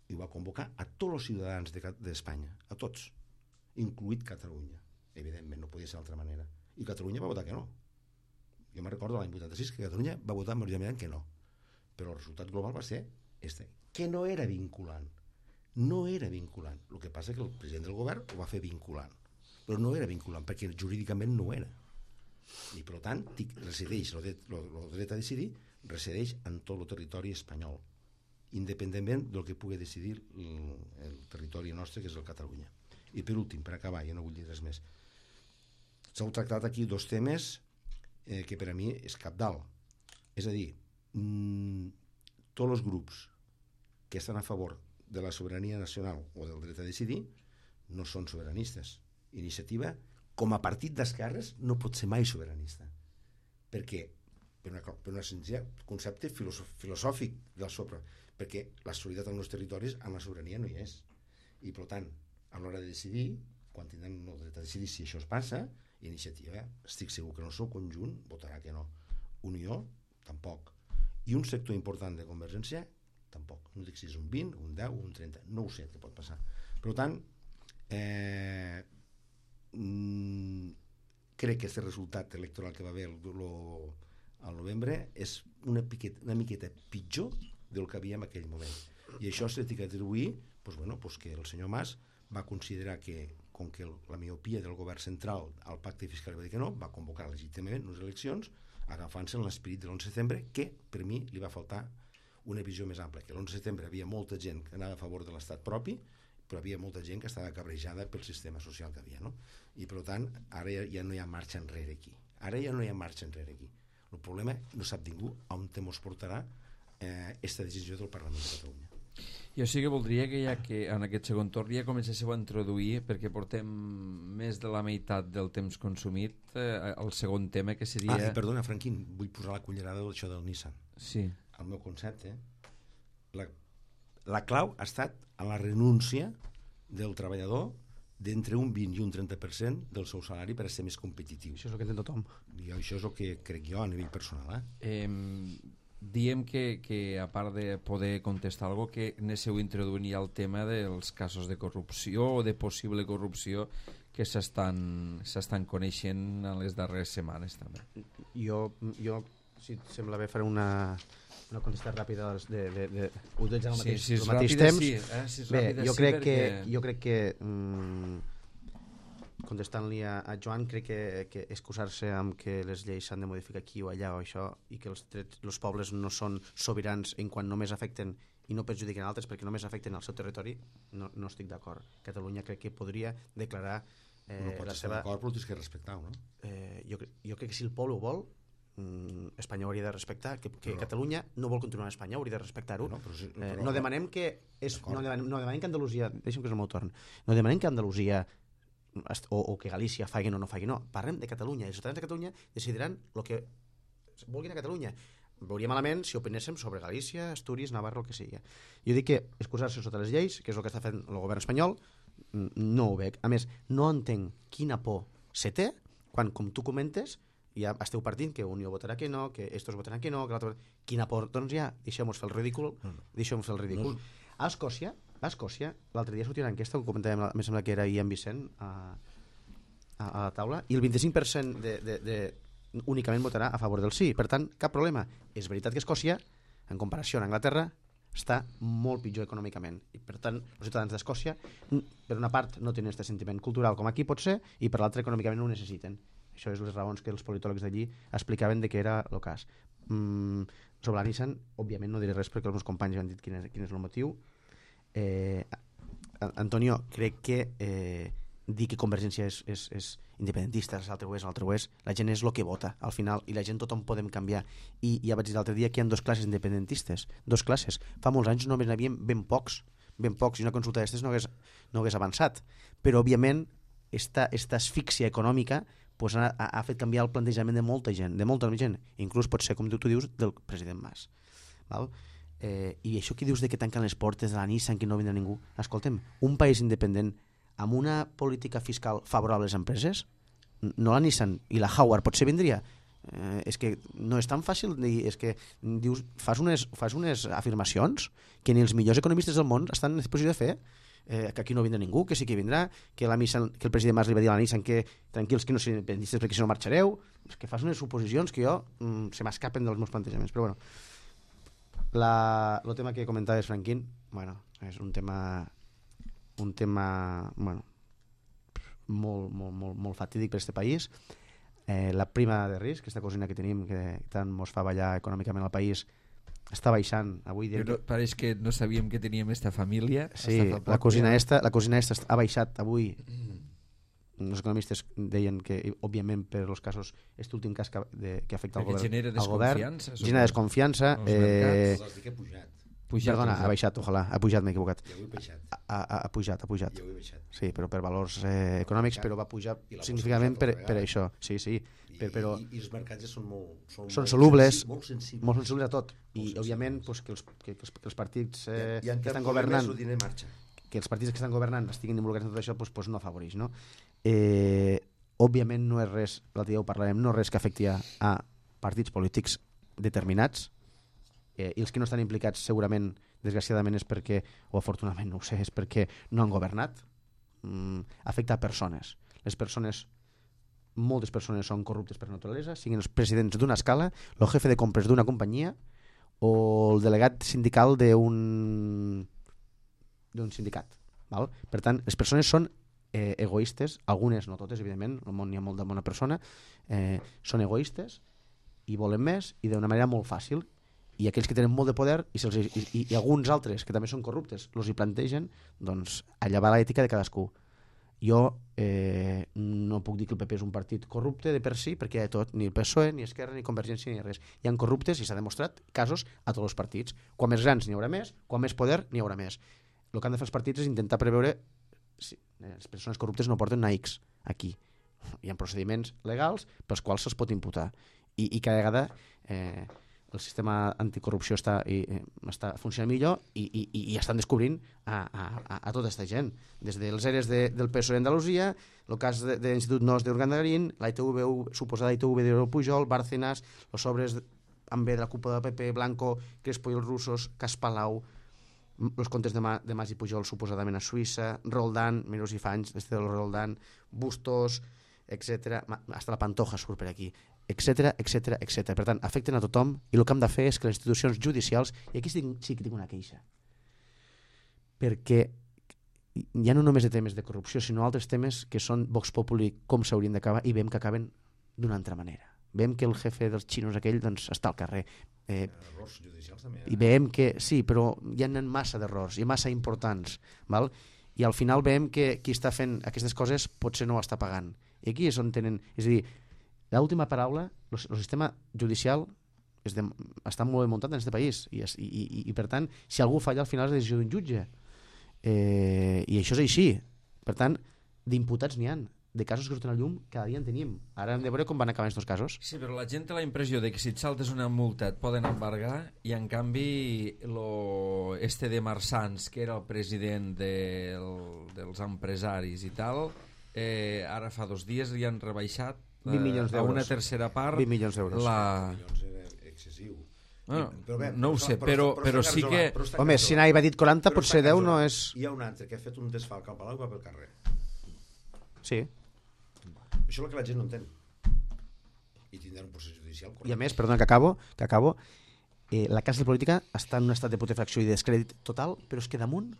i va convocar a tots els ciutadans d'Espanya, a tots, incluït Catalunya. Evidentment, no podia ser d'altra manera. I Catalunya va votar que no. Jo me'n recordo l'any 86 que Catalunya va votar majoritàriament que no. Però el resultat global va ser que no era vinculant. No era vinculant. El que passa és que el president del govern ho va fer vinculant. Però no era vinculant, perquè jurídicament no era. I per tant, resideix el dret a decidir, resideix en tot el territori espanyol, independentment del que pugui decidir el territori nostre, que és el Catalunya. I per últim, per acabar, ja no vull dir res més, s'heu tractat aquí 2 temes que per a mi és cabdal. És a dir, tots els grups que estan a favor de la sobirania nacional o del dret a decidir no són sobiranistes. Iniciativa, com a partit d'esquerres, no pot ser mai sobiranista, perquè per una senzill concepte filosòfic del sobre, perquè la solidaritat en els territoris amb la sobirania no hi és, i per tant a l'hora de decidir, quan tindran el dret a decidir si això es passa, Iniciativa, estic segur que en el seu conjunt votarà que no, Unió tampoc, i un sector important de Convergència tampoc, no dic si és un 20, un 10 un 30, no ho sé què pot passar. Per tant, crec que aquest resultat electoral que va haver al novembre és una miqueta pitjor del que havia en aquell moment, i això s'ha d'atribuir que el senyor Mas va considerar que, com que la miopia del govern central al pacte fiscal va dir que no, va convocar legítimament unes eleccions agafant-se en l'esperit de l'11 de setembre, que per mi li va faltar una visió més ampla, que l'11 de setembre havia molta gent que anava a favor de l'estat propi, però havia molta gent que estava cabrejada pel sistema social que havia, no? I per tant ara ja no hi ha marxa enrere aquí, el problema no sap ningú on ens portarà aquesta decisió del Parlament de Catalunya. Jo sí que voldria que ja que en aquest segon torn ja comencéssiu a introduir, perquè portem més de la meitat del temps consumit, el segon tema, que seria... Perdona, Franquín, vull posar la cullerada d'això del Nissan. Sí. El meu concepte, la clau ha estat a la renúncia del treballador d'entre un 20 i un 30% del seu salari per a ser més competitiu. Això és el que entén tothom. I això és el que crec jo a nivell personal. Diem que a part de poder contestar alguna cosa, que anéssim introduint ja el tema dels casos de corrupció o de possible corrupció que s'estan coneixent en les darreres setmanes també. Jo si et sembla bé, faré una contestada ràpida utilitzant el mateix temps. Bé, jo crec que contestant-li a Joan, crec que excusar-se amb que les lleis s'han de modificar aquí o allà o això, i que els pobles no són sobirans en quan només afecten i no perjudiquen altres perquè només afecten el seu territori, no estic d'acord. Catalunya crec que podria declarar no pots estar d'acord, però tens que respectar-ho, no? Jo crec que si el poble ho vol, Espanya hauria de respectar, que Catalunya no vol continuar a Espanya, hauria de respectar-ho. No demanem que Andalusia, deixa'm que és el meu torn, no demanem que Andalusia o que Galícia facin o no facin, no, parlem de Catalunya, els ciutadans de Catalunya decidiran el que vulguin a Catalunya. Veuria malament si opinéssim sobre Galícia, Astúries, Navarra, el que sigui. Jo dic que excusar-se sota les lleis, que és el que està fent el govern espanyol, no ho veig. A més, no entenc quina por se té quan, com tu comentes, ja esteu partint que Unió votarà que no, que estos votaran que no, que l'altre... Quina por? Doncs ja, deixem-nos fer el ridícul. A Escòcia, l'altre dia sortia una enquesta, ho comentàvem, em sembla que era ahir en Vicent a la taula, i el 25% únicament votarà a favor del sí. Per tant, cap problema. És veritat que Escòcia, en comparació amb Anglaterra, està molt pitjor econòmicament. I per tant, els ciutadans d'Escòcia, per una part, no tenen aquest sentiment cultural com aquí pot ser, i per l'altra, econòmicament no ho necessiten. Això és les raons que els politòlegs d'allí explicaven de que era el cas. Sobre la Nissan, òbviament no diré res perquè els meus companys han dit quin és el motiu. Antonio, crec que dir que Convergència és independentista, l'altre ho és, la gent és el que vota al final, i la gent tothom podem canviar. I ja vaig dir l'altre dia que hi ha dues classes independentistes, dues classes. Fa molts anys només n'hi havia ben pocs, i una consulta d'aquestes no hagués avançat. Però òbviament esta asfíxia econòmica pues ha fet canviar el plantejament de molta gent, inclús pot ser, com tu dius, del president Mas. Val? I això que dius de que tanquen les portes de la Nissan, que no vindrà ningú, escolta'm, un país independent amb una política fiscal favorable a les empreses, no la Nissan i la Howard potser vindria, és que no és tan fàcil dir, és que dius, fas unes afirmacions que ni els millors economistes del món estan en posició de fer, que aquí no vindrà ningú, que sí que vindrà, que el president Mas li va dir a la Nissan que tranquils, que no siguin independentistes perquè si no marxareu. És que fas unes suposicions que jo se m'escapen dels meus plantejaments. Però bueno, el tema que comentaves, Franquín, bueno, és un tema bueno, molt fatídic per a aquest país. La prima de risc, aquesta cosina que tenim que tant ens fa ballar econòmicament al país, està baixant avui. Pareix que no sabíem que teníem esta família. Sí, la cosina esta ha baixat avui. Els economistes deien que, òbviament, per als casos, aquest últim cas que afecta al govern, genera desconfiança. Genera desconfiança. Els dic que ha pujat. Perdona, ha baixat, ojalà, ha pujat, m'he equivocat. I avui ha baixat. Ha pujat. I avui ha baixat. Sí, però per valors econòmics, però va pujar significativament per això. Sí. Però I els mercats ja són molt solubles, molt sensibles. molt sensibles a tot. I, òbviament, pues, que els partits I que estan governant... el diner marxa. Que els partits que estan governant estiguin involucrats en tot això pues no afavoreix, no? Òbviament no és res, l'altre dia ho parlarem, no és res que afecti a partits polítics determinats, i els que no estan implicats segurament, desgraciadament, és perquè, o afortunadament no ho sé, és perquè no han governat. Afecta a persones. Les persones, moltes persones són corruptes per naturalesa, siguin els presidents d'una escala, el jefe de compres d'una companyia o el delegat sindical d'un sindicat. Val? Per tant, les persones són egoistes, algunes, no totes, evidentment, al món hi ha molta bona persona, són egoistes i volen més i d'una manera molt fàcil, i aquells que tenen molt de poder i alguns altres que també són corruptes els hi plantegen, doncs allà va l'ètica de cadascú. Jo no puc dir que el PP és un partit corrupte de per si, perquè hi ha de tot, ni el PSOE, ni Esquerra, ni Convergència, ni res. Hi ha corruptes i s'ha demostrat casos a tots els partits. Quan més grans n'hi haurà més, quan més poder n'hi haurà més. El que han de fer els partits és intentar preveure si les persones corruptes no porten una X aquí. Hi ha procediments legals pels quals se'ls pot imputar. I cada vegada el sistema anticorrupció està funcionant millor i estan descobrint a tota aquesta gent. Des dels eres del PSOE d'Andalusia, el cas de l'Institut NOS d'Urgandarín, la ITV, suposada ITV de Pujol, Bárcenas, els sobres amb B de la cúpula del PP, Blanco, Crespo i els russos, Cas Palau, els comptes de Mas i Pujol suposadament a Suïssa, Roldán, Mirós i Fanys, del Roldán, Bustos, etc. Hasta la Pantoja surt per aquí, etc. Per tant, afecten a tothom i el que hem de fer és que les institucions judicials, i aquí sí que tinc una queixa, perquè ja no només de temes de corrupció, sinó altres temes que són Vox Populi, com s'haurien d'acabar, i veiem que acaben d'una altra manera. Veiem que el jefe dels xinos aquell doncs, està al carrer. Errors judicials també. I veiem que sí, però hi ha massa d'errors i massa importants, val? I al final veiem que qui està fent aquestes coses potser no ho està pagant. I aquí és on tenen... És a dir, l'última paraula, el sistema judicial està molt ben muntat en aquest país i per tant, si algú falla al final és la decisió d'un jutge. I això és així. Per tant, d'imputats n'hi ha. De casos que surten a llum cada dia en tenim. Ara hem de veure com van acabar aquests casos. Sí, però la gent té la impressió de que si et saltes una multa et poden embargar, i en canvi de Marsans, que era el president dels empresaris i tal, ara fa 2 dies li han rebaixat 20 milions d'euros. A una tercera part 20 milions d'euros. 20 milions era excessiu. No ho sé, però sí que... Home, si n'havia dit 40, potser 10 no és... Hi ha un altre que ha fet un desfalc al Palau i va pel carrer. Sí. Això és el que la gent no entén. I tindrà un procés judicial correcte. I a més, perdona que acabo, la classe política està en un estat de putrefacció i de descrèdit total, però és que damunt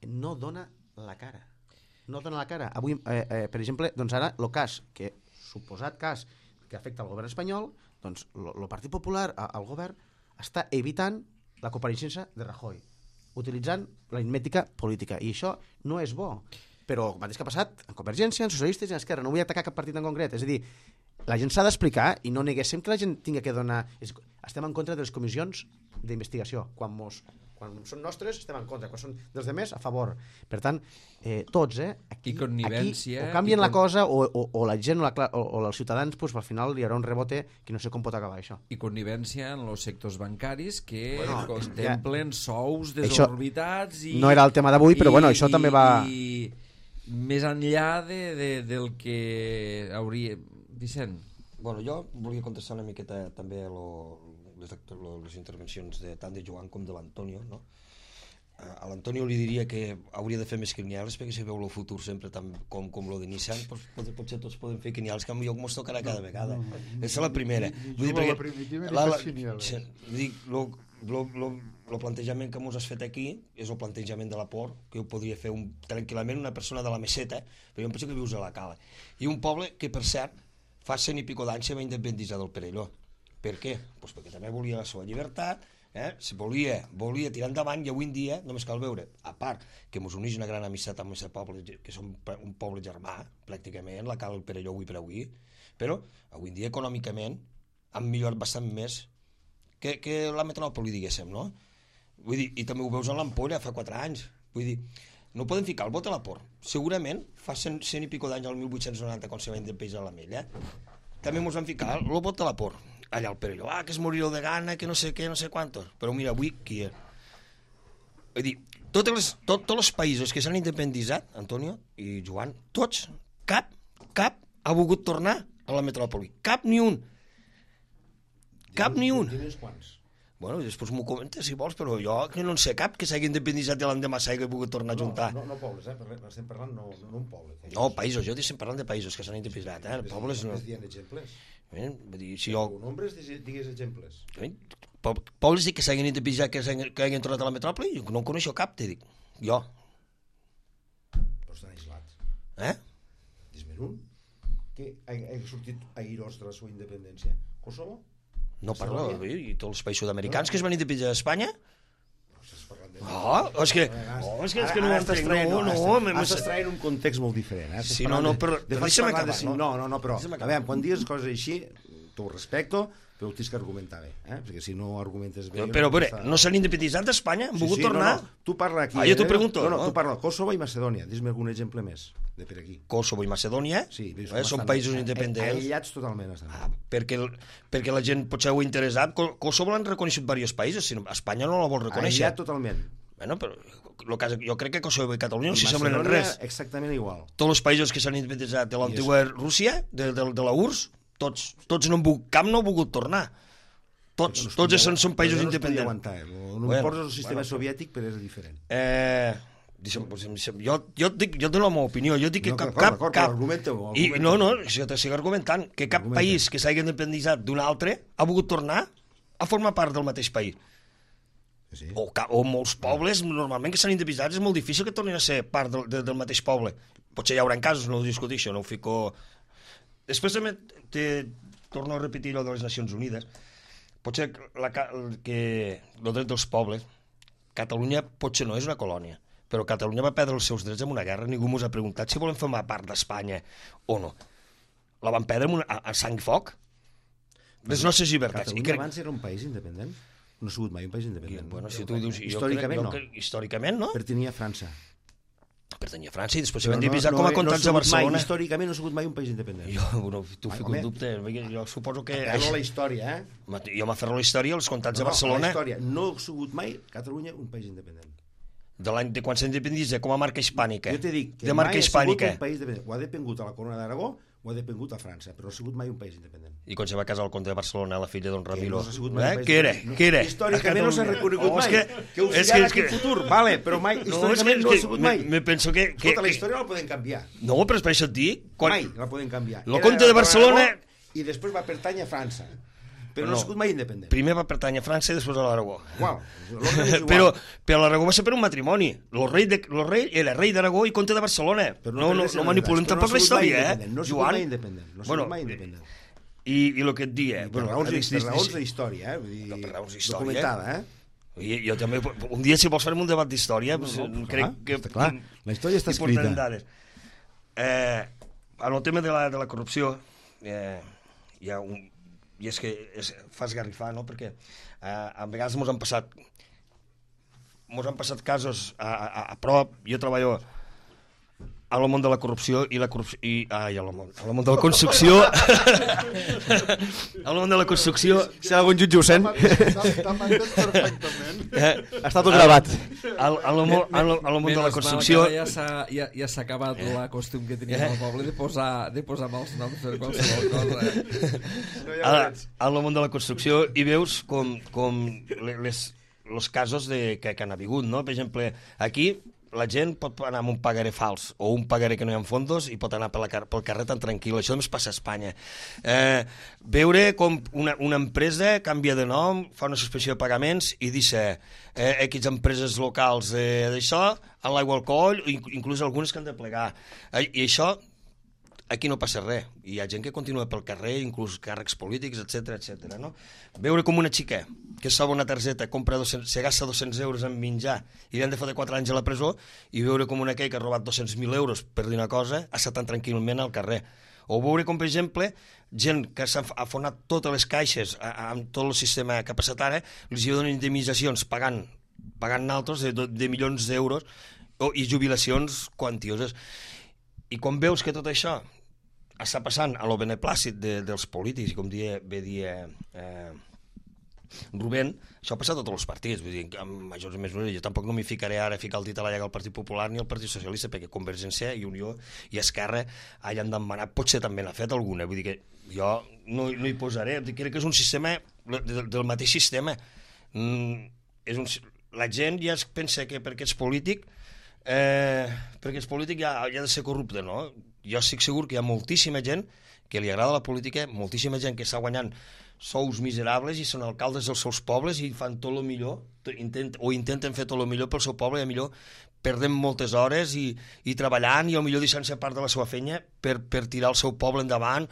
no dona la cara. No dona la cara. Avui, per exemple, doncs ara, el cas, suposat cas que afecta al govern espanyol, doncs el Partit Popular, el govern, està evitant la compareixença de Rajoy, utilitzant l'aritmètica política. I això no és bo. Però el mateix que ha passat en Convergència, en Socialistes i en Esquerra. No vull atacar cap partit en concret. És a dir, la gent s'ha d'explicar i no neguéssim que la gent tingui que donar... Estem en contra de les comissions d'investigació. Quan són nostres estem en contra, quan són dels demés a favor. Per tant, tots, aquí o canvien la cosa o la gent o els ciutadans, pues, al final hi haurà un rebote que no sé com pot acabar això. I connivència en els sectors bancaris que contemplen sous desorbitats i... No era el tema d'avui, però bueno, això també va... Més enllà del que hauria... Vicent? Bueno, jo volia contestar una miqueta també les intervencions tant de Joan com de l'Antonio, no? A l'Antonio li diria que hauria de fer més quiniels, perquè si veu el futur sempre com lo de Nissan, potser tots podem fer quiniels, que potser ens tocarà cada vegada. És la primera. La primitiva ni fes quiniels. El plantejament que ens has fet aquí és el plantejament de l'Aport, que ho podria fer tranquil·lament una persona de la Meseta, però jo em penso que vius a la Cala. I un poble que, per cert, fa 100 i pico d'anys se va independitzar del Perelló. Per què? Pues perquè també volia la seva llibertat, volia tirar endavant, i avui en dia només cal veure, a part que ens uneix una gran amistat amb aquest poble, que som un poble germà, pràcticament, la Cala i el Perelló avui per avui, però avui en dia econòmicament han millorat bastant més que la metròpoli, diguéssim, no? Vull dir, i també ho veus en l'Ampolla fa 4 anys. Vull dir, no podem ficar el vot a la por. Segurament, fa 100 i pico d'anys, al 1890, quan se va independitzar la Mella, també ens van ficar el vot a la por. Allà al Perelló, que es morirà de gana, que no sé què, no sé quantos. Però mira, avui, qui és? Vull dir, tots els països que s'han independitzat, Antonio i Joan, tots, cap ha volgut tornar a la metròpoli. Cap ni un. Cap ni un. Tens quants? Bueno, després m'ho comentes si vols, però jo que no en sé cap que s'hagi independitzat de l'endemà s'hagi volgut tornar a juntar. No pobles, estem parlant no un poble. No, països, jo estic parlant de països que s'han independitzat, pobles no. Només dient exemples. Vull dir, si jo... Nombres, digues exemples. Pobles que s'hagin independitzat, que hagin tornat a la metròpoli, jo no en coneixo cap, te dic. Jo. Però estan aislats. Eh? Dis-me'n un. Que ha sortit airós de la seva independència. Kosovo? No parlo, i tots els països sud-americans que es van independitzar d'Espanya? És que no ho entenc. Estàs traient un context molt diferent. Sí, però deixa'm acabar. No, però a veure, quan digues coses així, t'ho respecto, però ho tens que argumentar bé, perquè si no argumentes bé... Però no s'han independitzat d'Espanya? Han volgut tornar? Tu parla aquí... Jo t'ho pregunto. Tu parla Kosovo i Macedònia. Dis-me algun exemple més de per aquí. Kosovo i Macedònia són països independents. Aïllats totalment. Perquè la gent potser ho ha interessat. Kosovo l'han reconegut diversos països, Espanya no la vol reconèixer. Aïllat totalment. Bueno, però jo crec que Kosovo i Catalunya no s'hi semblen en res. Exactament igual. Tots els països que s'han independitzat de l'antiga Rússia, de la URSS, tots no han volgut, cap no ha volgut tornar. Tots són països independents. No importa el sistema soviètic, però és diferent. Jo dono la meva opinió. Jo dic que cap... Argumenta-ho. No, si jo t'estic argumentant, que cap país que s'hagi independitzat d'un altre ha volgut tornar a formar part del mateix país. O molts pobles, normalment, que s'han independitzat, és molt difícil que tornin a ser part del mateix poble. Potser hi haurà casos, no ho discuteixo, no ho fico... Després també torno a repetir allò de les Nacions Unides. Potser que el dret dels pobles, Catalunya potser no és una colònia, però Catalunya va perdre els seus drets en una guerra, ningú ens ha preguntat si volem formar part d'Espanya o no. La van perdre a sang i foc. Les nostres llibertats. Catalunya abans era un país independent? No ha sigut mai un país independent. Bueno, si tu dius... Històricament no. Històricament no. Pertanyia a França. Pertanyia a França i després s'ha divisat com a comtats de Barcelona. Històricament no ha sigut mai un país independent. Tu fico un dubte. Jo suposo que... Aferro la història, Jo m'aferro la història, els comtats de Barcelona... La història. No ha sigut mai Catalunya un país independent. De quan s'ha independit com a marca hispànica. Jo t'he dit que mai ha sigut un país independent. Ho ha depengut a la Corona d'Aragó, ho ha depengut a França, però no ha sigut mai un país independent. I quan se va casar el comte de Barcelona, la filla d'On Ramiro? Què era? Històricament no s'ha reconegut mai. Que ho sigui ara aquí en futur, vale, però mai, històricament no ha sigut mai. Me penso que... Escolta, la història la poden canviar. No, però és per això et dic... Mai la poden canviar. El comte de Barcelona... I després va pertànyer a França. Però no ha sigut mai independent. Primer va pertànyer a França i després a l'Aragó. Però l'Aragó va ser per un matrimoni. El rei era rei d'Aragó i comte de Barcelona. No manipulem tampoc la història, No ha sigut mai independent. No ha sigut mai independent. I el que et dia... Per raons d'història, per raons d'història. Documentada, Jo també... Un dia, si vols, farem un debat d'història. Crec que... Clar, la història està escrita. En el tema de la corrupció, hi ha un... I és que fa esgarrifar, no? Perquè a vegades mos han passat casos a prop. Jo treballo al món de la corrupció al món de la construcció al món de la construcció si algun jutge ho sent t'ha entès perfectament. Està tot gravat. Al món de la construcció ja s'ha acabat la costum que teníem al poble de posar mals noms per qualsevol cosa. Al món de la construcció i veus com els casos que han hagut, no? Per exemple, aquí la gent pot anar amb un pagaré fals o un pagaré que no hi ha fondos i pot anar pel carrer tan tranquil. Això només passa a Espanya. Veure com una empresa canvia de nom, fa una suspensió de pagaments i deixa X empreses locals d'això, en l'aigua alcohol, inclús algunes que han de plegar. I això aquí no passa res. Hi ha gent que continua pel carrer, inclús càrrecs polítics, etc. No? Veure com una xica que salva una targeta, se gasta 200 euros en menjar i li han de fotre 4 anys a la presó, i veure com una aquell que ha robat 200.000 euros per dir una cosa, està tan tranquil·lament al carrer. O veure com, per exemple, gent que s'ha afonat totes les caixes amb tot el sistema que ha passat ara, els donen indemnitzacions pagant pagant naltros de milions d'euros i jubilacions quantioses. I quan veus que tot això està passant a lo beneplàcit dels polítics, i com bé dia Rubén, això ha passat a tots els partits, vull dir, amb majors o menors. Jo tampoc no m'hi ficaré ara a ficar el dit a la llaga al Partit Popular ni al Partit Socialista, perquè Convergència i Unió i Esquerra han demanat, potser també n'ha fet alguna, vull dir que jo no hi posaré, crec que és un sistema del mateix sistema. La gent ja es pensa que perquè ets polític ja ha de ser corrupte, no? Jo estic segur que hi ha moltíssima gent que li agrada la política, moltíssima gent que està guanyant sous miserables i són alcaldes dels seus pobles i fan tot el millor, intenten fer tot el millor pel seu poble, i a millor perden moltes hores i treballant i millor deixant-se part de la seva feina per tirar el seu poble endavant,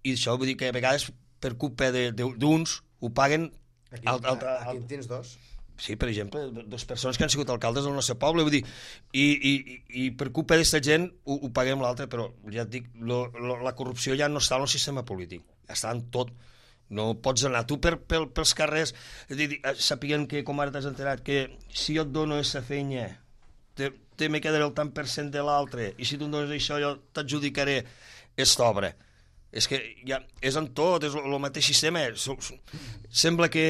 i això vull dir que a vegades per culpa d'uns ho paguen. Aquí tens dos. Sí, per exemple, dues persones que han sigut alcaldes del nostre poble, vull dir, i per culpa d'aquesta gent ho paguem l'altre, però ja et dic, la corrupció ja no està en el sistema polític, està en tot. No pots anar tu pels carrers sapient que, com ara t'has enterat, que si jo et dono aquesta feina te me quedaré el tant per cent de l'altre, i si tu em dones això jo t'adjudicaré aquesta obra. És que ja és en tot, és el mateix sistema. Sembla que,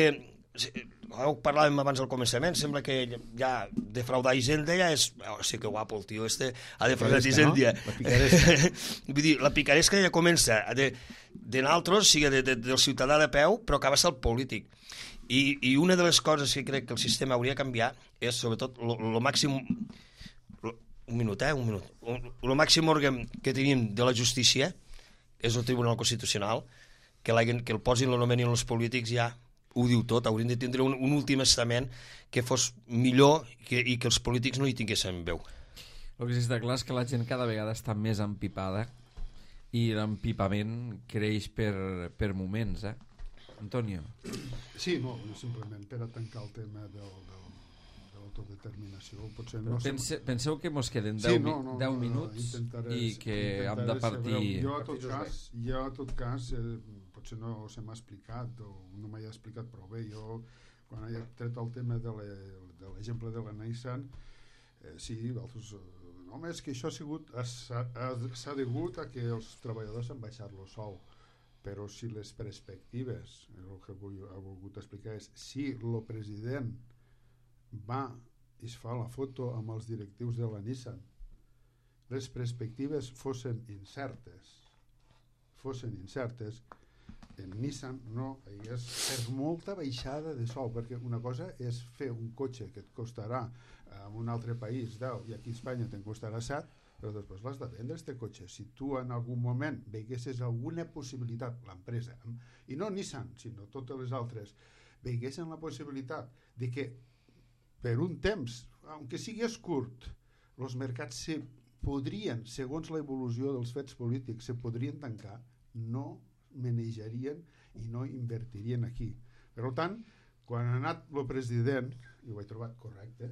ho parlàvem abans al començament, sembla que ja defraudar Hisenda ja és... Sí que guapo el tio este ha defraudat Hisenda. Vull dir, la picaresca ja comença de naltros, sigui del ciutadà de peu, però acaba sent el polític. I una de les coses que crec que el sistema hauria de canviar és, sobretot, el màxim... Un minut. El màxim òrgan que tenim de la justícia és el Tribunal Constitucional, que el posin, l'anomenin els polítics, ja ho diu tot. Haurien de tindre un últim estament que fos millor i que els polítics no hi tinguessin veu. El que sí està clar és que la gent cada vegada està més empipada i l'empipament creix per moments, Antonio? Sí, no, simplement per a tancar el tema de l'autodeterminació. Potser no penseu que mos queden 10 minuts i que hem de partir... Jo, a tot cas, potser no se m'ha explicat o no m'ha explicat prou bé. Jo, quan he tret el tema de l'exemple de la Nissan, sí, altres... No, és que això s'ha degut a que els treballadors han baixat el sou, però si les perspectives, el que ha volgut explicar és, si el president va i es fa la foto amb els directius de la Nissan, les perspectives fossin incertes, en Nissan no hi hagués per molta baixada de sou, perquè una cosa és fer un cotxe que et costarà en un altre país 10 i aquí a Espanya te'n costarà 7, però després l'has de vendre este cotxe. Si tu en algun moment veiguessis alguna possibilitat, l'empresa, i no Nissan sinó totes les altres, veiguessin la possibilitat de que per un temps, aunque sigués curt, els mercats se podrien, segons l'evolució dels fets polítics, se podrien tancar, no manejarien i no invertirien aquí. Per tant, quan ha anat el president, i ho he trobat correcte,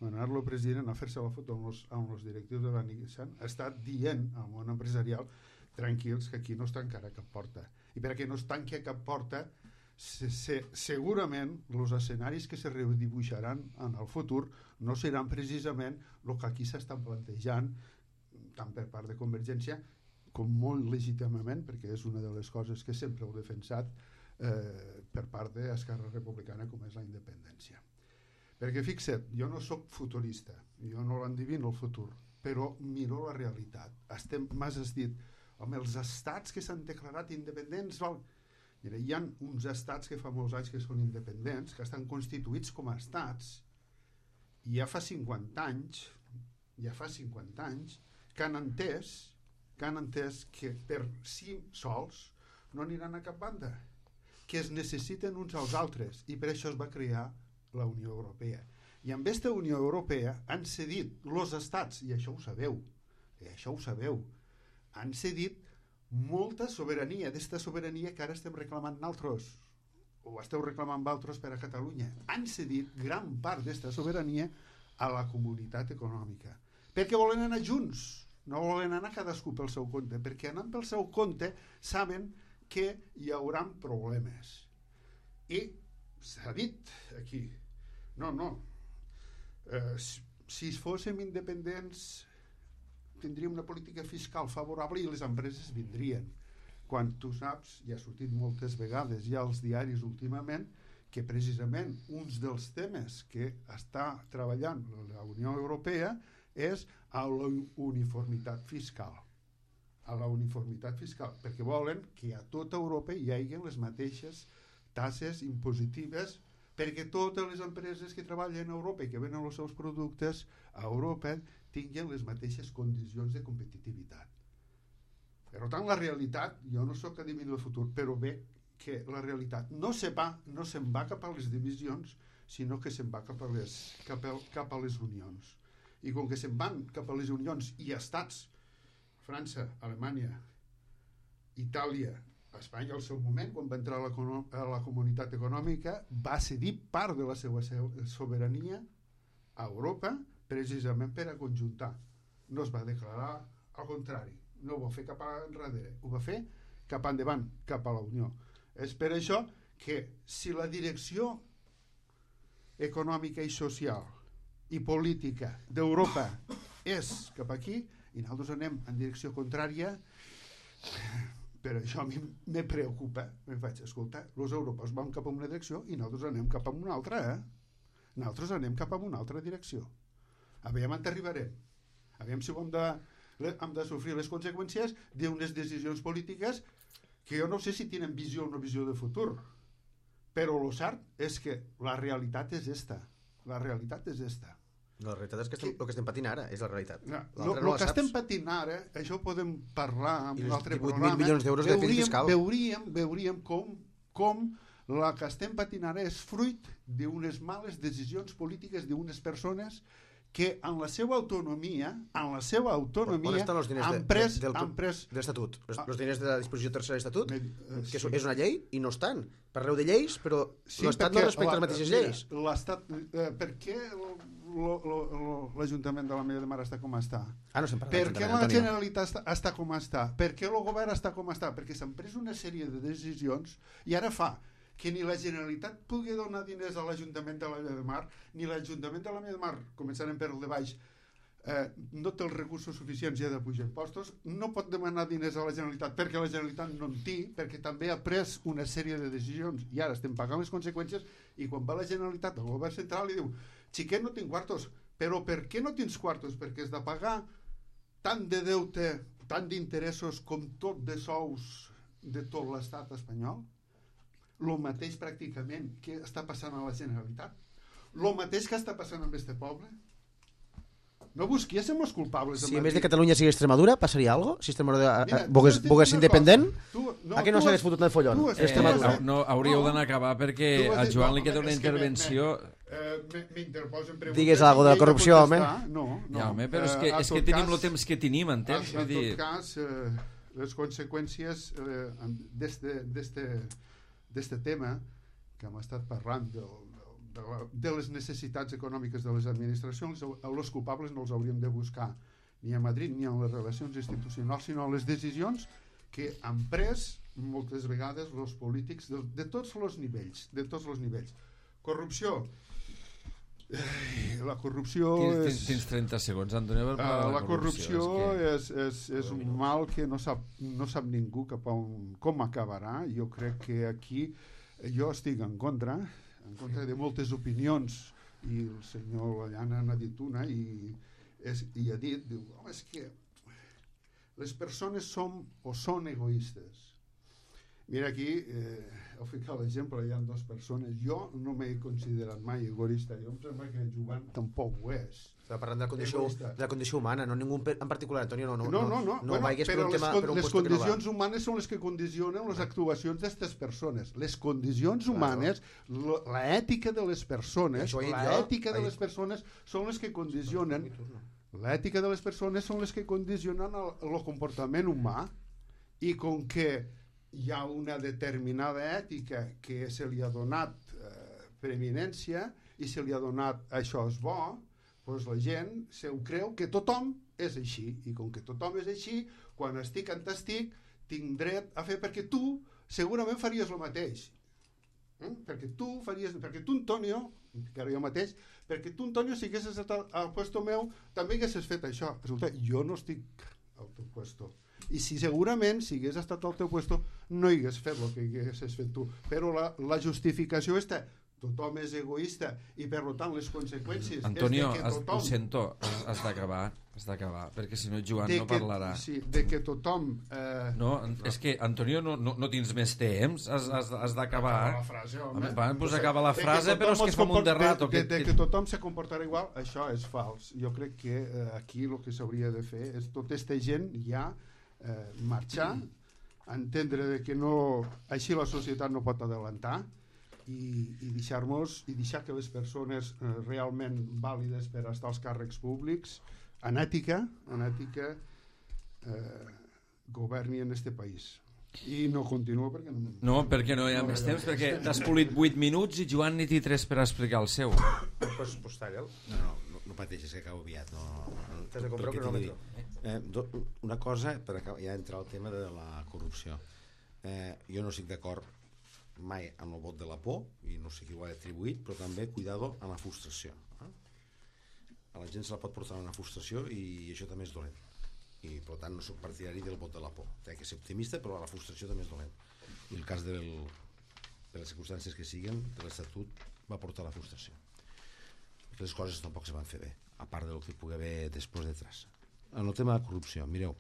quan ha anat el president a fer-se la foto amb els directius de la Nissan, ha estat dient al món empresarial, tranquils, que aquí no es tancarà cap porta. I perquè no es tanqui cap porta, segurament els escenaris que se redibuixaran en el futur no seran precisament el que aquí s'estan plantejant, tant per part de Convergència com molt legítimament, perquè és una de les coses que sempre heu defensat per part d'Esquerra Republicana, com és la independència. Perquè fixa't, jo no sóc futurista, jo no l'endivino el futur, però miro la realitat. M'has dit, home, els estats que s'han declarat independents, mira, hi ha uns estats que fa molts anys que són independents, que estan constituïts com a estats, i ja fa 50 anys que han entès que per si sols no aniran a cap banda, que es necessiten uns als altres, i per això es va crear la Unió Europea. I amb aquesta Unió Europea han cedit els estats, i això ho sabeu, han cedit molta sobirania, d'esta sobirania que ara estem reclamant nosaltres, o esteu reclamant vosaltres per a Catalunya. Han cedit gran part d'esta sobirania a la comunitat econòmica, perquè volen anar junts, no volen anar cadascú pel seu compte, perquè anant pel seu compte saben que hi haurà problemes. I s'ha dit aquí, no, Si fóssim independents tindríem una política fiscal favorable i les empreses vindrien. Quan tu saps, i ha sortit moltes vegades ja als diaris últimament, que precisament uns dels temes que està treballant la Unió Europea és a la uniformitat fiscal. A la uniformitat fiscal, perquè volen que a tota Europa hi hagi les mateixes taxes impositives, perquè totes les empreses que treballen a Europa i que venen els seus productes a Europa tinguin les mateixes condicions de competitivitat. Per tant, la realitat, jo no sóc adiví del futur, però bé que la realitat no se'n va cap a les divisions, sinó que se'n va cap a les unions. I com que se'n van cap a les unions i estats, França, Alemanya, Itàlia, Espanya al seu moment, quan va entrar a la comunitat econòmica, va cedir part de la seva sobirania a Europa precisament per a conjuntar. No es va declarar al contrari, no ho va fer cap enrere, ho va fer cap endavant, cap a la Unió. És per això que si la direcció econòmica i social i política d'Europa és cap aquí i nosaltres anem en direcció contrària, per això a mi me preocupa. Em faig, escolta, els europeus van cap a una direcció i nosaltres anem cap a una altra, Nosaltres anem cap a una altra direcció. Aviam on arribarem. Aviam si hem de sofrir les conseqüències d'unes decisions polítiques que jo no sé si tenen visió o no visió de futur. Però el cert és que la realitat és esta. La realitat és esta. La realitat és que el que estem patint ara és la realitat. El que estem patint ara, això ho podem parlar en un altre programa. 18.000 milions d'euros de dèficit fiscal. Veuríem com la que estem patint ara és fruit d'unes males decisions polítiques d'unes persones que en la seva autonomia on estan els diners han pres de l'Estatut? Els diners de la disposició tercera de l'Estatut, que és una llei, i no estan. Parleu de lleis, però l'Estat no respecta les mateixes lleis. Per què l'Ajuntament de la Mella de Mar està com està? No se'n parla per què la Generalitat està com està? Per què el govern està com està? Perquè s'han pres una sèrie de decisions i ara fa que ni la Generalitat pugui donar diners a l'Ajuntament de la Mella de Mar, ni l'Ajuntament de la Mella de Mar, començarem per el de baix, no té els recursos suficients i ha de pujar impostos, no pot demanar diners a la Generalitat perquè la Generalitat no en té, perquè també ha pres una sèrie de decisions i ara estem pagant les conseqüències, i quan va la Generalitat al govern central li diu, xiquet, no tinc quartos. Però per què no tens quartos? Perquè has de pagar tant de deute, tant d'interessos com tot de sous de tot l'estat espanyol. El mateix pràcticament que està passant a la Generalitat, el mateix que està passant amb este poble. No busquéssim els culpables. Si a més de Catalunya sigui Extremadura, passaria alguna cosa? Si Extremadura volgués independent, a què no s'hagués fotut el follon? No, hauríeu d'anar a acabar perquè a Joan li queda una intervenció. M'interposen preguntes. Digues alguna cosa de la corrupció, home. No. Ja, home, però és que tenim el temps que tenim, entens? En tot cas, les conseqüències d'este tema que hem estat parlant de les necessitats econòmiques de les administracions, els culpables no els hauríem de buscar ni a Madrid ni en les relacions institucionals, sinó en les decisions que han pres moltes vegades els polítics de tots els nivells. Corrupció. La corrupció Tens 30 segons, Antonio. La corrupció és un mal que no sap ningú com acabarà. Jo crec que aquí jo estic en contra de moltes opinions, i el senyor Llana n'ha dit una i ha dit, diu, home, és que les persones són egoistes. Mira, aquí heu ficat l'exemple, hi ha dues persones. Jo no m'he considerat mai egoista. Jo em sembla que Joan tampoc ho és. Estava parlant de la condició humana, no ningú en particular, Antonio. No, vagis per un tema, les condicions humanes són les que condicionen les actuacions d'aquestes persones. Les condicions humanes, l'ètica de les persones, són les que condicionen. L'ètica de les persones són les que condicionen el comportament humà, i com que hi ha una determinada ètica que se li ha donat preeminència i se li ha donat això és bo, doncs la gent se ho creu que tothom és així, i com que tothom és així, quan estic en t'estic tinc dret a fer, perquè tu segurament faries el mateix. Perquè tu faries... Perquè tu, Antonio, que ara jo mateix, perquè tu, Antonio, si haguessis estat al puesto meu, també haguessis fet això. Resulta, jo no estic al teu puesto. I si segurament, si hagués estat al teu puesto, no hagués fet el que haguessis fet tu. Però la justificació està... Tothom és egoista i, per tant, les conseqüències... Antonio, és de que tothom... ho sento, has d'acabar, perquè si no Joan no parlarà. Sí, de que tothom... No, és que, Antonio, no tens més temps, has d'acabar. La frase, home. Pues acaba la frase, però és que fa molt de rato. De que tothom se comportarà igual, això és fals. Jo crec que aquí el que s'hauria de fer és tota aquesta gent ja marxar, entendre que no, així la societat no pot adelantar, i deixar que les persones realment vàlides per estar als càrrecs públics en ètica governi en este país. I no continuo perquè perquè no hi ha més temps, perquè t'has polit 8 minuts i Joan ni té 3 per explicar el seu. Pues talla'l. No pateixis, que acabo aviat. T'has de comprar un cronòmetre. Una cosa, per ja entrar al tema de la corrupció. Jo no estic d'acord mai amb el vot de la por, i no sé qui ho ha atribuït, però també cuidado amb la frustració. A la gent se la pot portar una frustració i això també és dolent. I per tant no soc partidari del vot de la por. Té que ser optimista, però la frustració també és dolent. I el cas de les circumstàncies que siguen, de l'Estatut, va portar la frustració. Les coses tampoc se van fer bé, a part del que pugui haver després detrás. En el tema de la corrupció, mireu,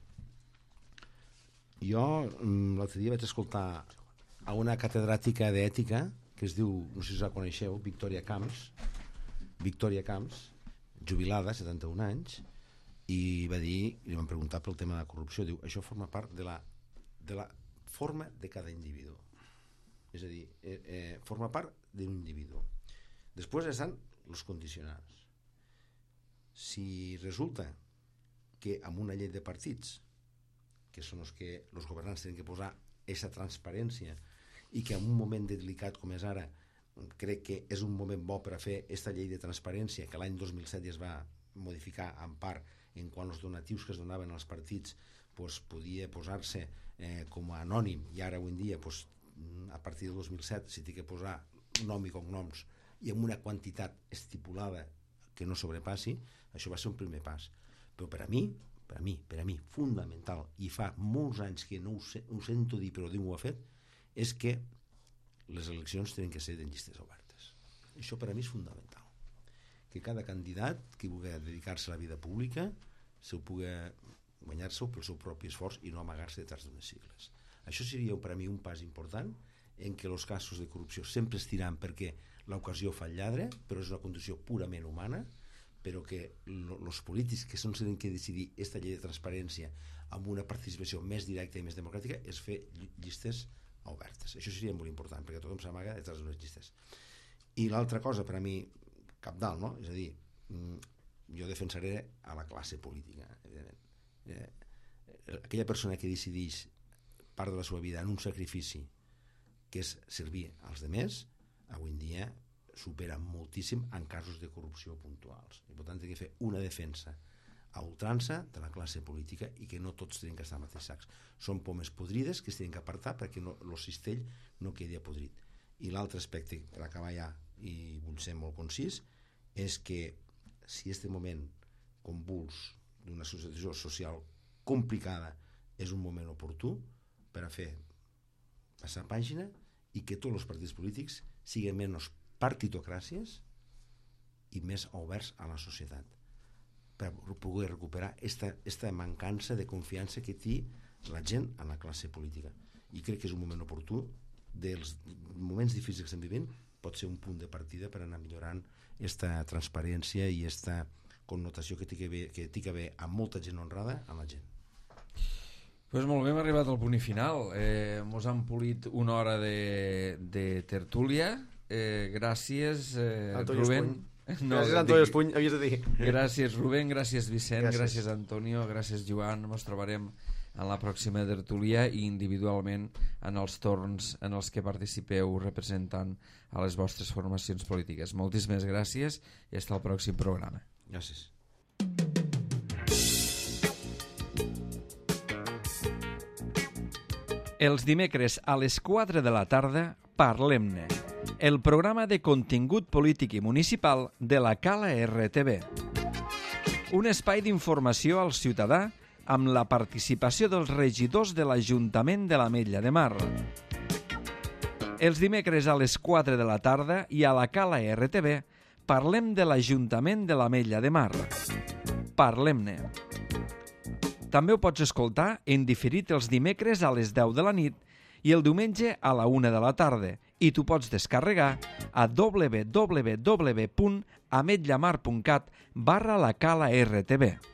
jo l'altre dia vaig escoltar a una catedràtica d'ètica que es diu, no sé si la coneixeu, Victòria Camps, jubilada, 71 anys, i va dir, li van preguntar pel tema de la corrupció, diu, això forma part de la forma de cada individu. És a dir, forma part d'un individu. Després estan els condicionals. Si resulta que amb una llei de partits, que són els que els governants tenen que posar aquesta transparència, i que en un moment delicat com és ara crec que és un moment bo per a fer aquesta llei de transparència que l'any 2007 ja es va modificar en part en quan els donatius que es donaven als partits podia posar-se com a anònim, i ara avui en dia a partir del 2007 s'hi té que posar nom i cognoms i amb una quantitat estipulada que no sobrepassi. Això va ser un primer pas, però per a mi fundamental, i fa molts anys que no ho sento dir però ningú ho ha fet, és que les eleccions tenen que ser de llistes obertes. Això per a mi és fundamental, que cada candidat que vulgui dedicar-se a la vida pública se ho pugui guanyar-se pel seu propi esforç i no amagar-se detrás d'unes sigles. Això seria per a mi un pas important en què els casos de corrupció sempre es tiran perquè l'ocasió fa el lladre, però és una condició purament humana, però que els polítics que són els que decidir aquesta llei de transparència amb una participació més directa i més democràtica és fer llistes obertes. Això seria molt important perquè tothom s'amaga detrás d'unes llistes. I l'altra cosa per a mi cabdal, no? És a dir, jo defensaré a la classe política, evidentment. Aquella persona que decideix part de la seva vida en un sacrifici que és servir als demés, avui en dia supera moltíssim en casos de corrupció puntuals. I per tant té que fer una defensa a ultrança de la classe política i que no tots tenen que estar al mateix sacs. Són pomes podrides que es tenen que apartar perquè el cistell no quedi apodrit. I l'altre aspecte, per acabar ja, i vull ser molt concís, és que si este moment convuls d'una situació social complicada és un moment oportú per a fer passar pàgina i que tots els partits polítics siguin menys partitocràcies i més oberts a la societat, per poder recuperar esta mancança de confiança que té la gent en la classe política. I crec que és un moment oportú, dels moments difícils que estem vivint, pot ser un punt de partida per anar millorant aquesta transparència i aquesta connotació que té que haver amb molta gent honrada a la gent. Pues molt bé, hem arribat al punt final. Mos han polit una hora de tertúlia. Gràcies, Rubén. No, gràcies, Antonio Espuny, havies de dir. Gràcies, Rubén, gràcies, Vicent, gràcies, Antonio, gràcies, Joan. Ens trobarem en la pròxima tertúlia i individualment en els torns en els que participeu representant a les vostres formacions polítiques. Moltíssimes gràcies i fins al pròxim programa. Gràcies. Els dimecres a les 4 de la tarda, parlem-ne. el programa de contingut polític i municipal de la Cala RTV. Un espai d'informació al ciutadà amb la participació dels regidors de l'Ajuntament de l'Ametlla de Mar. Els dimecres a les 4 de la tarda i a la Cala RTV parlem de l'Ajuntament de l'Ametlla de Mar. Parlem-ne. També ho pots escoltar en diferit els dimecres a les 10 de la nit i el diumenge a la 1 de la tarda i t'ho pots descarregar a www.ametllamar.cat/la Cala RTV.